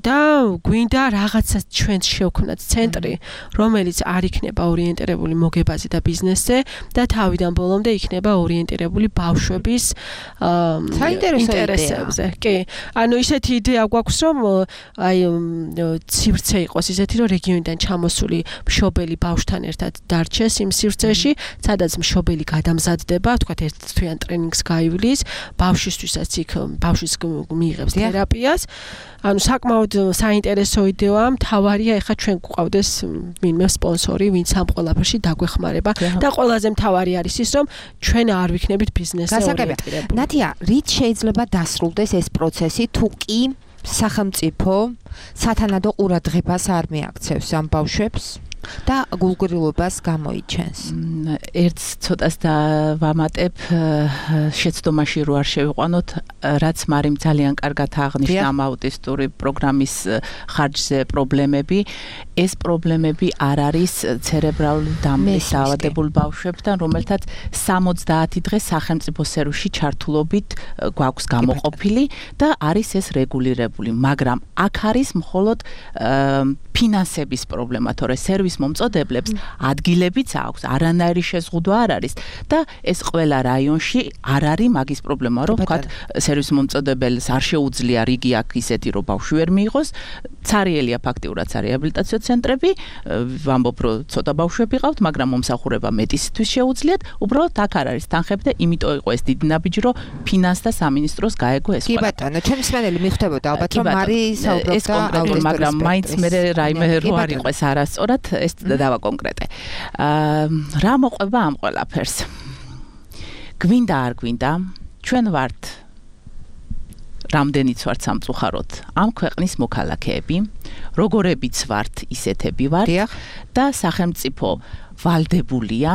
და გვინდა რაღაცა ჩვენს შევქმნათ ცენტრი, რომელიც არ იქნება ორიენტირებული მოგებაზე და ბიზნესზე და თავიდან ბოლომდე იქნება ორიენტირებული ბავშვების ინტერესებზე. კი. ანუ ისეთი იდეა გვაქვს, რომ აი სივრცე იყოს ისეთი, რომ რეგიონიდან ჩამოსული მშობელი ბავშვთან ერთად დარჩეს იმ სივრცეში, სადაც მშობელი გადამზადდება, თქვათ ერთ თვიან ტრენინგს გაივლის, ბავშვისთვისაც იქ ბავშვის მიიღებს თერაპიას. ანუ საკმაოდ საინტერესო იდეაა, მთავარია ეხა ჩვენ გვყავდეს ვინმე სპონსორი, ვინც ამ ყველაფერში დაგვეხმარება და ყველაზე მთავარი არის ის, რომ ჩვენ არ ვიქნებით ბიზნესზე ორიენტირებული. ნათია, რით შეიძლება დასრულდეს ეს პროცესი, თუ კი სახელმწიფო სათანადო ყურადღებას არ მიაქცევს ამ ბავშვებს და გულგრილობას გამოიჩენს. ერთს ცოტას და ვამატებ შეცდომაში რო არ შევიყვანოთ, რაც მარიმ ძალიან კარგად აღნიშნა ამ აუტისტური პროგრამის ხარჯზე პრობლემები. ეს პრობლემები არ არის ცერებრალური დამბლის დაავადებულ ბავშვებთან, რომელთაც 70 დღე სახელმწიფო სერვისში ჩართულობით გვაქვს გამოყოფილი და არის ეს რეგულირებული, მაგრამ აქ არის მხოლოდ ფინანსების პრობლემა, თორე სერვის მომწოდებლებს ადგილებიც აქვს, არანაირი შეზღუდვა არ არის და ეს ყველა რაიონში არ არის მაგის პრობლემა, რომ ვთქვათ, სერვის მომწოდებელს არ შეუძლია რიგი აქ ისეთი, რომ ბავშვი ვერ მიიღოს, ცარიელია ფაქტიურად რეაბილიტაციო ცენტრები, ვამბობ, რომ ცოტა ბავშვები ყავთ, მაგრამ მომსახურება მეტისათვის შეუძლიათ, უბრალოდ აქ არ არის თანხები და იმიტომ იყო ეს დიდი ნაბიჯი, რომ ფინანსთა სამინისტროს გაეგო ეს ყველა. კი ბატონო, ჩემი მსმენელი მიხვდებოდა ალბათ, რომ მარი საუბრობდა, მაგრამ მაინც მე რაიმე რო არ იყოს არასწორად, ეს დავაკონკრეტე. რა მოყვება ამ ყველაფერს? გვინდა არ გვინდა, ჩვენ ვართ რამდენიც ვართ სამწუხაროდ ამ ქვეყნის მოქალაქეები, როგორებიც ვართ, ისეთები ვართ და სახელმწიფო ვალდებულია.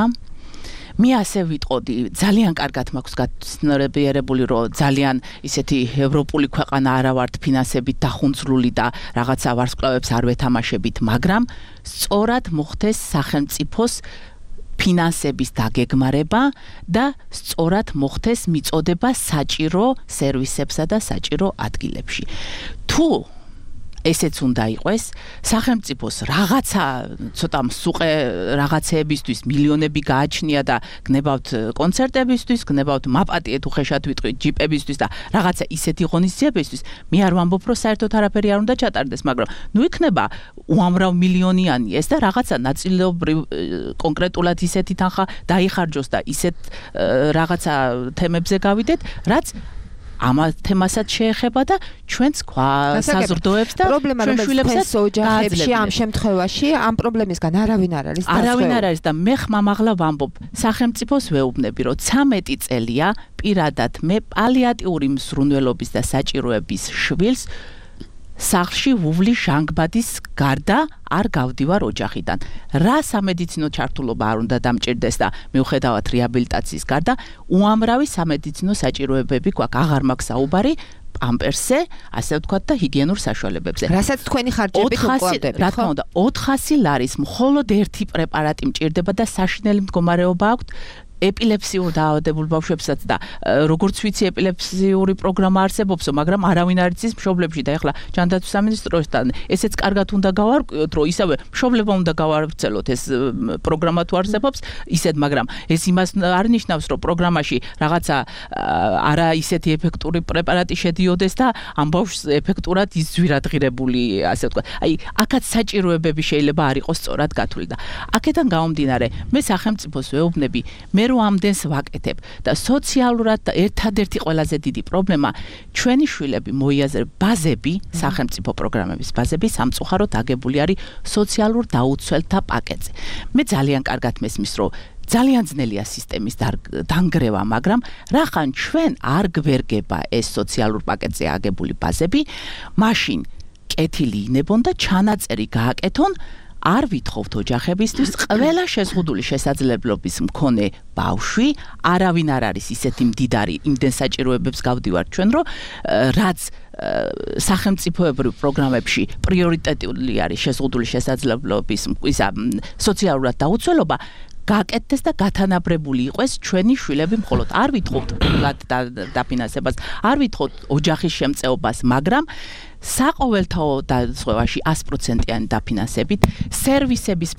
მე ასე ვიტყოდი, ძალიან კარგად მაქვს გაცნობიერებული, რომ ძალიან ისეთი ევროპული ქვეყანა არა ვართ ფინანსებით დახუნცრული და რაღაცა ვარსკვლავებს არ ვეთამაშებით, მაგრამ სწორად მოხდეს სახელმწიფოს ფინანსების დაგეგმარება და სწორად მოხდეს მიწოდება საჭირო სერვისებსა და საჭირო ადგილებში. თუ ესეც უნდა იყოს, სახელმწიფოს რაღაცა ცოტა მსუყე რაღაცეებისთვის მილიონები გააჩნია და გნებავთ კონცერტებისთვის, გნებავთ მაპატიეთ უხეშად ვიტყვი ჯიპებისთვის და რაღაცა ისეთი ღონისძიებისთვის, მე არ ვამბობ, რომ საერთოდ არაფერი არ უნდა ჩატარდეს, მაგრამ ნუ იქნება უამრავ მილიონიანი ეს და რაღაცა ნაწილობრივ კონკრეტულად ისეთი თანხა დაიხარჯოს და ისეთ რაღაცა თემებზე გავიდეთ, რაც ამ თემასაც შეეხება და ჩვენს საზრდოებს და ჩვენ შვილებსაც ოჯახებში ამ შემთხვევაში ამ პრობლემისგან არავინ არ არის დასწრებული. არავინ არ არის და მე ხმამაღლა ვამბობ, სახელმწიფოს ვეუბნები, რომ 13 წელია პირადად მე პალიატიური მზრუნველობის და საჭიროების შვილს სახლში ვუვლი ჟანგბადის გარდა არ გავდივარ ოჯახიდან. რა სამედიცინო ჩართულობა არ უნდა დამჭირდეს და მიუხედავად რეაბილიტაციის გარდა უამრავი სამედიცინო საჭიროებები გვაქვს. აღარ მაქვს საუბარი პამპერსზე, ასე ვთქვათ და ჰიგიენურ საშუალებებზე. რასაც თქვენი ხარჯებით უკლავდებით, რა თქმა უნდა, 400 ლარის მხოლოდ ერთი პრეპარატი მჭირდება და საშინელი მდგომარეობა აქვს ეპილეფსიურ დაავადებულ ბავშვებსაც და როგორც ვიცი ეპილეფსიური პროგრამა არსებობსო, მაგრამ არავინ არ იცის მშობლებში და ეხლა ჯანდაცვის სამინისტროსთან ესეც კარგად უნდა გავარკვიოთ, რომ ისევე მშობლებმა უნდა გავავრცელოთ ეს პროგრამა თუ არსებობს, ისეთ, მაგრამ ეს იმას არ ნიშნავს, რომ პროგრამაში რაღაცა არა ისეთი ეფექტური პრეპარატი შედიოდეს და ამ ბავშვს ეფექტურად იზვირადღირებული, ასე ვთქვათ. აი, აქაც საჭიროებები შეიძლება არ იყოს სწორად გათვლილი და აქედან გამომდინარე, მე სახელმწიფოს ვეუბნები, მე რომ ამდენს ვაკეთებ და სოციალურად და ერთადერთი ყველაზე დიდი პრობლემა ჩვენი შვილები მოიაზრებ ბაზები, სახელმწიფო პროგრამების ბაზები სამწუხაროდ აგებული არის სოციალურ დაუცველთა პაკეტზე. მე ძალიან კარგად მესმის, რომ ძალიან ძნელია სისტემის დანგრევა, მაგრამ რახან ჩვენ არ გვერგება ეს სოციალურ პაკეტზე აგებული ბაზები, მაშინ კეთილი ინებონ და ჩანაწერი გააკეთონ არ ვითხოვთ ოჯახებისთვის ყველა შეზღუდული შესაძლებლობის მქონე ბავშვი, არავინ არ არის ისეთი მდიდარი იმდენ საჭიროებებს გავდივართ ჩვენ, რომ რაც სახელმწიფოებრივ პროგრამებში პრიორიტეტული არის შეზღუდული შესაძლებლობის ისა სოციალურად დაუცველობა, გაკეთდეს და გათანაბრებული იყოს ჩვენი შვილები მხოლოდ. არ ვითხოვთ დაფინანსებას, არ ვითხოვთ ოჯახის შემწეობას, მაგრამ საყოველთაო დაწესებაში 100%-იანი დაფინანსებით, სერვისების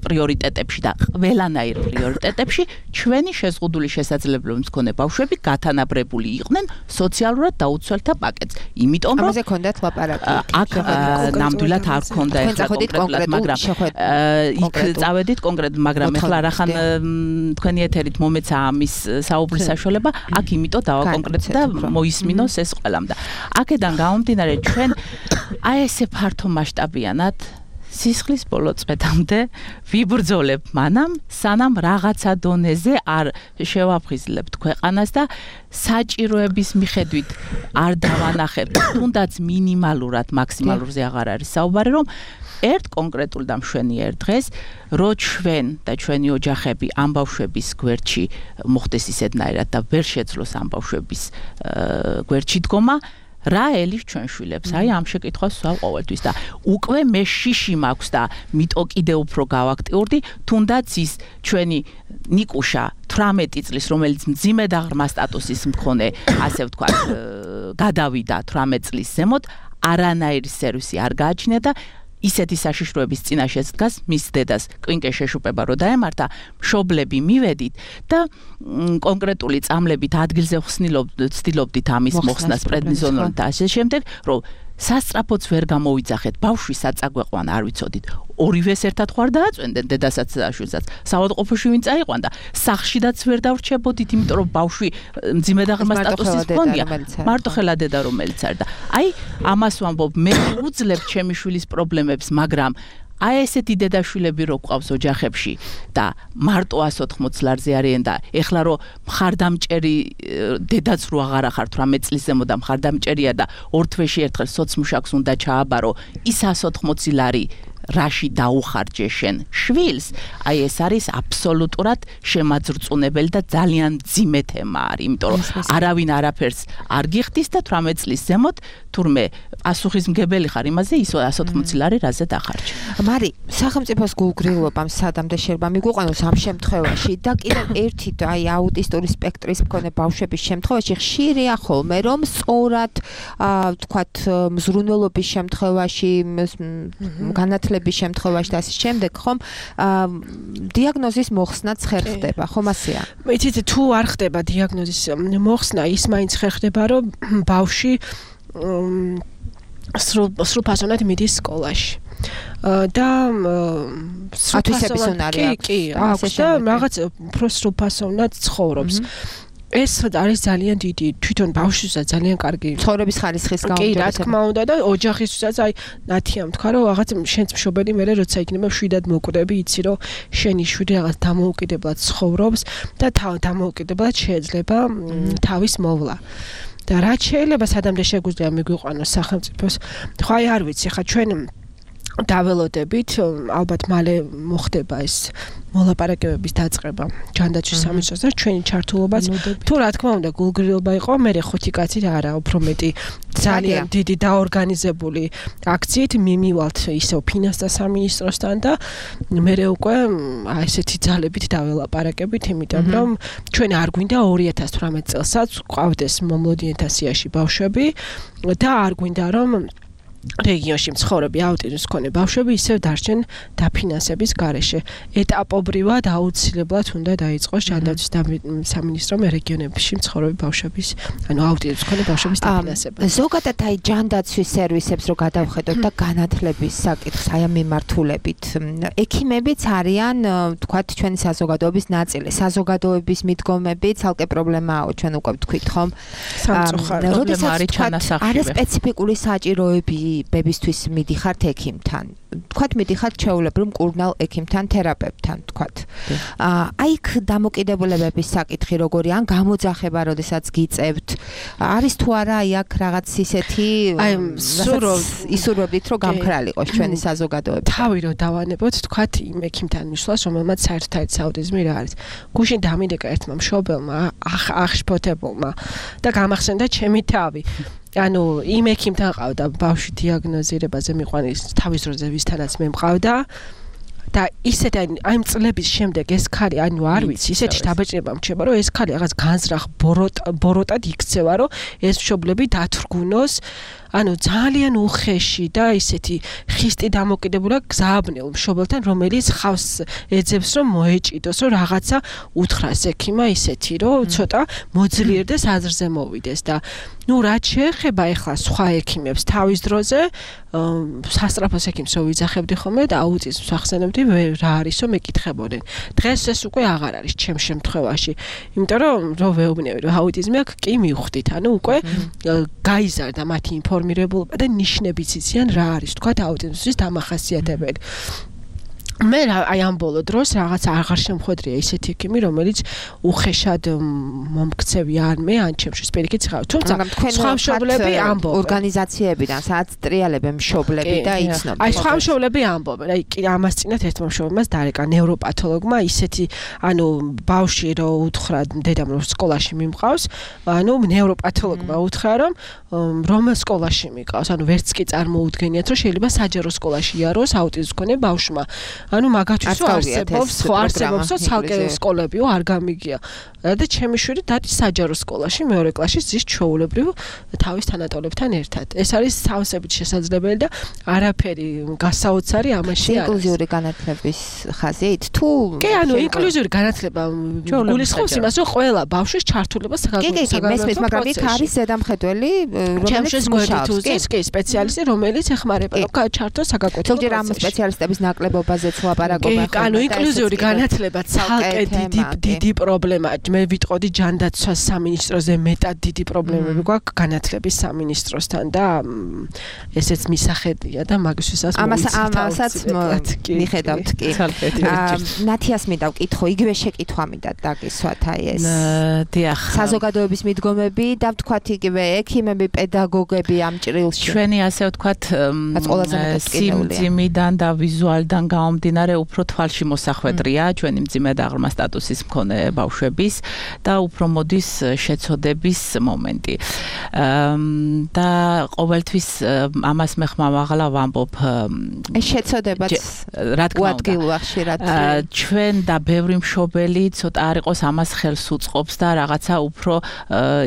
პრიორიტეტებში და ყველანაირ პრიორიტეტებში ჩვენი შეზღუდული შესაძლებლობების მქონე ბავშვები გათანაბრებული იყვნენ სოციალურად დაუცველთა პაკეტს. იმიტომ რომ ამაზე ქონდათ ლაპარაკი. აქ ნამდვილად არ ქონდა ეხლა კონკრეტულად, მაგრამ იქ წავედით კონკრეტულად, მაგრამ ეხლა რახან თქვენი ეთერით მომეცა ამის საუბრის საშუალება, აქ იმიტომ დავაკონკრეტდე და მოისმინოს ეს ყველამ და აქედან გამომდინარე ჩვენ აი ესე ფართო მასშტაბიანად სისხლის ბოლო წვეთამდე ვიბრძოლებ მანამ სანამ რაღაცა დონეზე არ შევაფხიზლებთ ქვეყანას და საჭიროების მიხედვით არ დავანახებთ თუნდაც მინიმალურად მაქსიმალურზე აღარ არის საუბარი რომ ერთ კონკრეტულ და მშვენიერ დღეს რო ჩვენ და ჩვენი ოჯახები ამ ბავშვების გვერდში მოხდეს ისეთნაირად და ვერ შეძლოს ამ ბავშვების გვერდში დგომა რა ელის ჩვენ შვილებს აი ამ შეკითხვას ვსვავ ყოველთვის და უკვე მე შიში მაქვს და მიტო კიდე უფრო გავაქტიურდი თუნდაც ის ჩვენი ნიკუშა 18 წლის რომელიც მძიმე და ღრმა სტატუსის მქონე ასე ვთქვათ გადავიდა 18 წლის ზემოთ არანაირი სერვისი არ გააჩნია და ისეთი საშიშროების წინაშეც დგას მის დედას კვინკე შეშუპება რო დაემართა მშობლები მივედით და კონკრეტული წამლებით ადგილზე ვცდილობდით ამის მოხსნას პრედნიზონური და ასე შემდეგ რომ სასწრაფოც ვერ გამოვიძახეთ ბავშვი საწაგვეყვან არ ვიცოდით ორივეს ერთად ხوار დააწვენდნენ დედასაც და შვილსაც საავადმყოფოში ვინ წაიყვან და სახლშიდაც ვერ დავრჩებოდით იმიტომ რომ ბავშვი მძიმე და ღრმა სტატუსის მქონია მარტო ხელა დედა რომელიც არის და აი ამას ვამბობ მე უძლებ ჩემი შვილის პრობლემებს მაგრამ აი ესეთი დედაშვილები რო გვყავს ოჯახებში და მარტო 180 ლარზე არიან და ეხლა რო მხარდამჭერი დედაც რო აღარ ახარ 18 წლის ზემო და მხარდამჭერია და ორ თვეში ერთხელ სოცმუშაკს უნდა ჩააბარო ის 180 ლარი რაში დაუხარჯე შენ შვილს აი ეს არის აბსოლუტურად შემაძრწუნებელი და ძალიან მძიმე თემა არის იმიტომ რომ არავინ არაფერს არ გიხდის და 18 წლის ზემოთ თურმე პასუხისმგებელი ხარ იმაზე ის 180 ლარი რაზე დახარჯე მარი სახელმწიფოს გულგრილობამ სადამდე შეიძლება მიგვიყვანოს ამ შემთხვევაში და კიდევ ერთი აი აუტისტური სპექტრის მქონე ბავშვების შემთხვევაში ხშირია ხოლმე რომ სწორად ვთქვათ მზრუნველობის შემთხვევაში განათლების შემთხვევაში და ასე შემდეგ ხომ დიაგნოზის მოხსნაც ხერხდება ხომ ასეა იცით თუ არ ხდება დიაგნოზის მოხსნა ის მაინც ხერხდება რომ ბავშვი სრულფასოვნად მიდის სკოლაში და სრულფასოვნარი აქვს და რაღაც უფრო სრულფასოვნად ცხოვრობს ეს არის ძალიან დიდი თვითონ ბავშვისაც ძალიან კარგი ცხოვრების ხარისხის კი რა თქმა უნდა და ოჯახისთვისაც აი ნათიამ თქვა რომ რაღაც შენც მშობელი მე როცა იქნება შვიდად მოკვდები იცი რომ შენი შვილი რაღაც დამოუკიდებლად ცხოვრობს და დამოუკიდებლად შეიძლება თავის მოვლა და რაც შეიძლება სადამდე შეგვიძლია მიგვიყვანოს სახელმწიფოს ხო აი არ ვიცი ხა ჩვენ დაველოდებით ალბათ მალე მოხდება ეს მოლაპარაკებების დაწყება ჯანდაცვის სამინისტროსთან ჩვენი ჩართულობაც თუ რა თქმა უნდა გულგრილობა იყო მე ხუთი კაცი და არა უფრო მეტი ძალიან დიდი დაორგანიზებული აქციით მიმივალთ ისევ ფინანსთა სამინისტროსთან და მე უკვე ესეთი ძალებით დაველაპარაკებით იმიტომ რომ ჩვენ არ გვინდა 2018 წელსაც ყავდეს მომლოდიანთა სიაში ბავშვები და არ გვინდა რომ რეგიონში მცხოვრები აუტიზმის მქონე ბავშვები ისევ დარჩენ დაფინანსების გარეშე. ეტაპობრივად აუცილებლად უნდა დაიწყოს ჯანდაცვის სამინისტრომ რეგიონებში მცხოვრები ბავშვების, ანუ აუტიზმის მქონე ბავშვების დაფინანსება. ზოგადად აი ჯანდაცვის სერვისებს რო გადავხედოთ და განათლების საკითხს აი ამ მიმართულებით, ექიმებიც არიან, თქვათ, ჩვენი საზოგადოების ნაწილი. საზოგადოების მიდგომები ცალკე პრობლემაა, ჩვენ უკვე ვთქვით, ხომ? პრობლემა არის ჩანასახში. არა სპეციფიკური საჭიროები ბებისთვის მიდიხართ ექიმთან. თქვათ მიდიხართ ჩვეულებრივ მკურნალ ექიმთან, თერაპევტთან, თქვათ. აი იქ დამოკიდებულებების საკითხი როგორი ან გამოძახება, როდესაც გიწევთ, არის თუ არა აი აქ რაღაც ისეთი ისურვებდით, რომ გამქრალიყოს ჩვენი საზოგადოება. თავი რო დავანებოთ, თქვათ იმ ექიმთან მისვლას, რომელმაც საერთოდ აუტიზმი რა არის. გუშინ დამიდეკა ერთმა მშობელმა, აღშფოთებულმა და გამახსენდა ჩემი თავი. ანუ იმ ექიმთან ყავდა ბავშვი დიაგნოზირებაზე მიყვანის თავის დროზე ვისთანაც მე მყავდა და ისეთ აი იმ წლების შემდეგ ეს ქალი ანუ არ ვიცი ისეთი დაბეჭდება მრჩება რომ ეს ქალი რაღაც განზრახ ბოროტად იქცევა რომ ეს მშობლები დათრგუნოს ანუ ძალიან უხეში და ისეთი ხისტი დამოკიდებულა გზააბნელ მშობელთან რომელიც ხავს ეძებს რომ მოეჭიდოს რომ რაღაცა უთხრას ექიმა ისეთი რომ ცოტა მოძლიერდეს აზრზე მოვიდეს და ნუ რაც შეეხება ახლა სხვა ექიმებს თავის დროზე სასწრაფოს ექიმსო ვიძახებდი ხოლმე და აუტიზმს ახსენებდი რა არისო მეკითხებოდნენ დღეს ეს უკვე აღარ არის ჩემ შემთხვევაში იმიტომ რომ ვეუბნები რომ აუტიზმი აქვს კი მივხვდით ანუ უკვე გაიზარდა მათი ინფორმირებულობა და ნიშნებიც იციან რა არის თქვა აუტიზმის დამახასიათებელი მე აი ამ ბოლო დროს რაღაც აღარ შემხვედრია ისეთი ექიმი რომელიც უხეშად მომქცევი არ მე ან ჩემში სპირიკიც ხარ თუმცა სხვა მშობლები ამბობენ ორგანიზაციებიდან სადაც ტრიალებენ მშობლები და იცნობენ აი სხვა მშობლები ამბობენ აი ამას წინათ ერთმა მშობლებას დარეკა ნევროპათოლოგმა ისეთი ანუ ბავშვი რო უთხრა დედამ რომ სკოლაში მიმყავს ანუ ნევროპათოლოგმა უთხრა რომ სკოლაში მიყავს ანუ ვერც კი წარმოუდგენიათ რომ შეიძლება საჯარო სკოლაში იაროს აუტიზმის მქონე ბავშვმა ანუ მაგათვისო არსებობს ცალკე სკოლებიო არ გამიგია და ჩემი შვილი დადის საჯარო სკოლაში მეორე კლასში ზის ჩვეულებრივ თავის თანატოლებთან ერთად ეს არის სავსებით შესაძლებელი და არაფერი გასაოცარი ამაში არის ინკლუზიური განათლების ხაზით თუ კი ანუ ინკლუზიური განათლება გულისხმობს იმას რომ ყველა ბავშვის ჩართულობა საგანმანათლებლო მაგრამ იქ არის ზედამხედველი რომელიც მუშაობს კი სპეციალისტი რომელიც ეხმარება რომ ჩართოს საგანმანათლებლო ზოგჯერ ამ სპეციალისტების ნაკლებობაზე ლაპარაკობა ხო ანუ ინკლუზიური განათლება ცალკე დიდი პრობლემაა მე ვიტყოდი ჯანდაცვას სამინისტროზე მეტად დიდი პრობლემები გვაქვს განათლების სამინისტროსთან და ესეც მისახედია და მაგისთვისაც ამასაც მიხედავთ კი ნათიას მინდა ვკითხო იგივე შეკითხვა მინდა დაგისვათ აი ეს დიახ საზოგადოების მიდგომები და ვთქვათ იგივე ექიმები პედაგოგები ამ ჭრილში ჩვენი ასე ვთქვათ სიმძიმიდან და ვიზუალიდან გამომდინარე უფრო თვალში მოსახვედრია ჩვენი მძიმე და ღრმა სტატუსის მქონე ბავშვების და უფრო მოდის შეცოდების მომენტი. და ყოველთვის ამას მე ხმამაღლა ვამბობ ეს შეცოდებაც რა თქმა უნდა ხშირად ჩვენ და ბევრი მშობელი ცოტა არ იყოს ამას ხელს უწყობს და რაღაცა უფრო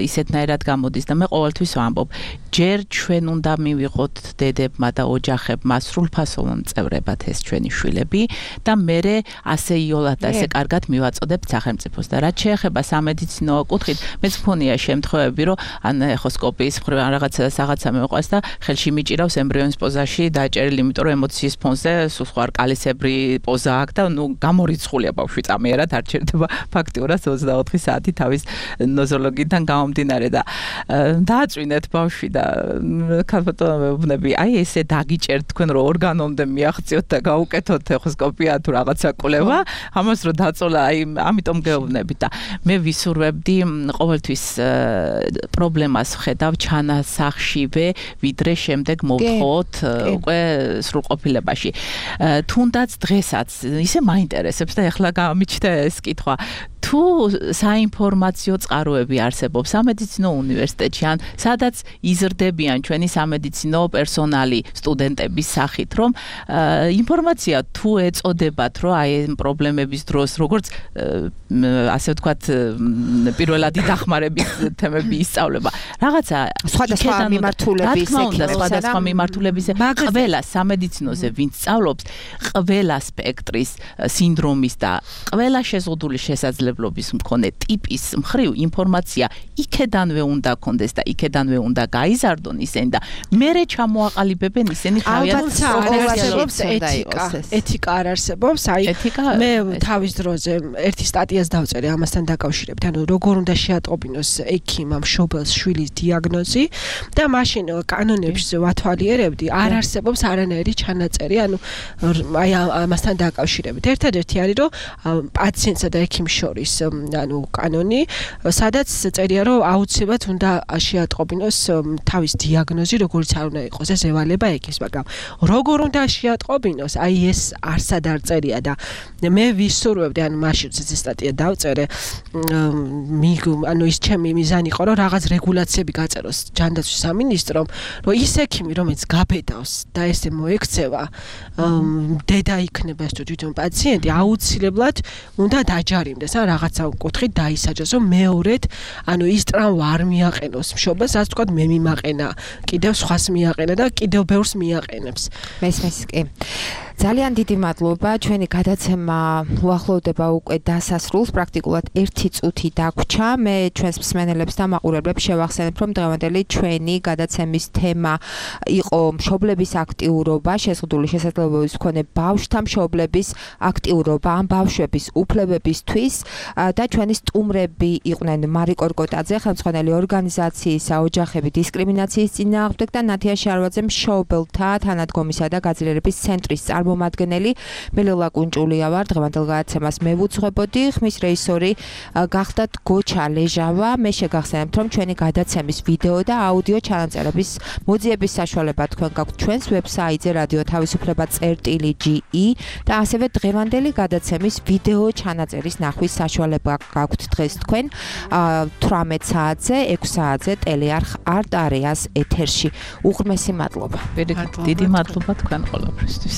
ისეთნაირად გამოდის და მე ყოველთვის ვამბობ ჯერ ჩვენ უნდა მივიღოთ დედებმა და ოჯახებმა სრულფასოვან წევრებად ეს ჩვენი შვილები და მერე ასე იოლად და ასე კარგად მივაწოდებთ სახელმწიფოს და რაც შეეხება სამედიცინო კუთხით მეც მქონია შემთხვევები რომ ან ეხოსკოპიის მხრივ ან რაღაცა მეყვას და ხელში მიჭირავს ემბრიონის პოზაში დაჭერილი იმიტომ რომ ემოციის ფონზე სულ სხვა კალისებრი პოზა აქვს და ნუ გამორიცხულია ბავშვი წამიერად არ ჩერდება ფაქტიურად 24 საათი თავის ნოზოლოგიდან გამომდინარე და დააწვინეთ ბავშვი და ქალბატონები აი ესე დაგიჭერთ თქვენ რომ ორგანომდე მიაღწიოთ და გაუკეთოთ ეხოსკოპია თუ რაღაცა კვლევა ამას რომ დაწოლა აი ამიტომ გეუბნები და მე ვისურვებდი ყოველთვის პრობლემას ვხედავ ჩანასახშივე ვიდრე შემდეგ მოვთხოვოთ უკვე სრულყოფილებაში თუნდაც დღესაც ისე მაინტერესებს და ეხლა გამიჩნდა ეს კითხვა თუ საინფორმაციო წყაროები არსებობს სამედიცინო უნივერსიტეტში ან სადაც იზრდებიან ჩვენი სამედიცინო პერსონალი სტუდენტების სახით რომ ინფორმაცია თუ ეწოდებათ რომ აი ეს პრობლემების დროს როგორც ასე ვთქვათ პირველადი დახმარების თემები ისწავლება რაღაცა სხვადასხვა მიმართულების ყველა სამედიცინოზე ვინც სწავლობს ყველა სპექტრის სინდრომის და ყველა შეზღუდული შესაძლებლობის მქონე ტიპის მხრივ ინფორმაცია იქედანვე უნდა კონდეს და იქედანვე უნდა გაიზარდონ ისინი და მერე ჩამოაყალიბებენ ისინი თავიანთ ეთიკა არ არსებობს აი მე თავის დროზე ერთი სტატიას დავწერე ამასთან დაკავშირებით ანუ როგორ უნდა შეატყობინოს ექიმმა მშობელს შვილის დიაგნოზი და მაშინ კანონებში ვათვალიერებდი არ არსებობს არანაირი ჩანაწერი ანუ აი ამასთან დაკავშირებით ერთადერთი არის რომ პაციენტსა და ექიმს შორის დოქტორის კანონი, სადაც წერია, რომ აუცილებლად უნდა შეატყობინოს თავის დიაგნოზი, როგორც არ უნდა იყოს ეს ევალება ექიმს, მაგრამ როგორ უნდა შეატყობინოს, აი ეს არსად არ წერია და მე ვისურვებდი, მაშინ სტატია დავწერე, ის ჩემი მიზანი იყო, რომ რაღაც რეგულაციები გაწეროს ჯანდაცვის სამინისტრომ, რომ ის ექიმი, რომელიც გაბედავს და ესე მოექცევა, დედა იქნება ეს თვითონ პაციენტი, აუცილებლად უნდა დაჯარიმდეს, რაღაცა კუთხით დაისაჯოს, რომ მეორედ, ის ტრავმა არ მიაყენოს მშობელს, ასე ვთქვათ, მე მიმაყენა, კიდევ სხვას მიაყენა და კიდევ ბევრს მიაყენებს. მესმის კი. ძალიან დიდი მადლობა. ჩვენი გადაცემა უახლოვდება უკვე დასასრულს, პრაქტიკულად 1 წუთი დაგვრჩა. მე ჩვენს მსმენელებს და მაყურებლებს შევახსენებ, რომ დღევანდელი ჩვენი გადაცემის თემა იყო მშობლების აქტიურობა, შეზღუდული შესაძლებლობების მქონე ბავშვთა მშობლების აქტიურობა ან ბავშვების უფლებებისთვის და ჩვენი სტუმრები იყვნენ მარიკო რკოტაძე, ხელმძღვანელი ორგანიზაციისა ოჯახები დისკრიმინაციის წინააღმდეგ და ნათია შარვაძე, მშობელთა თანადგომისა და გაძლიერების ცენტრის წარმომადგენელი. მე ლელა კუნჭულია ვარ, დღევანდელ გადაცემას მე ვუძღვებოდი, ხმის რეჟისორი გახდათ გოჩა ლეჟავა. მე შეგახსენებთ, რომ ჩვენი გადაცემის ვიდეო და აუდიო ჩანაწერების მოძიების საშუალება თქვენ გაქვთ ჩვენს ვებსაიტზე radioთავისუფლება.ge და ასევე დღევანდელი გადაცემის ვიდეო ჩანაწერის ნახვის საშუალება გაქვთ დღეს თქვენ 18 საათზე, 6 საათზე ტელეარხ არტ არეას ეთერში. უღრმესი მადლობა. დიდი მადლობა თქვენ ყველაფრისთვის.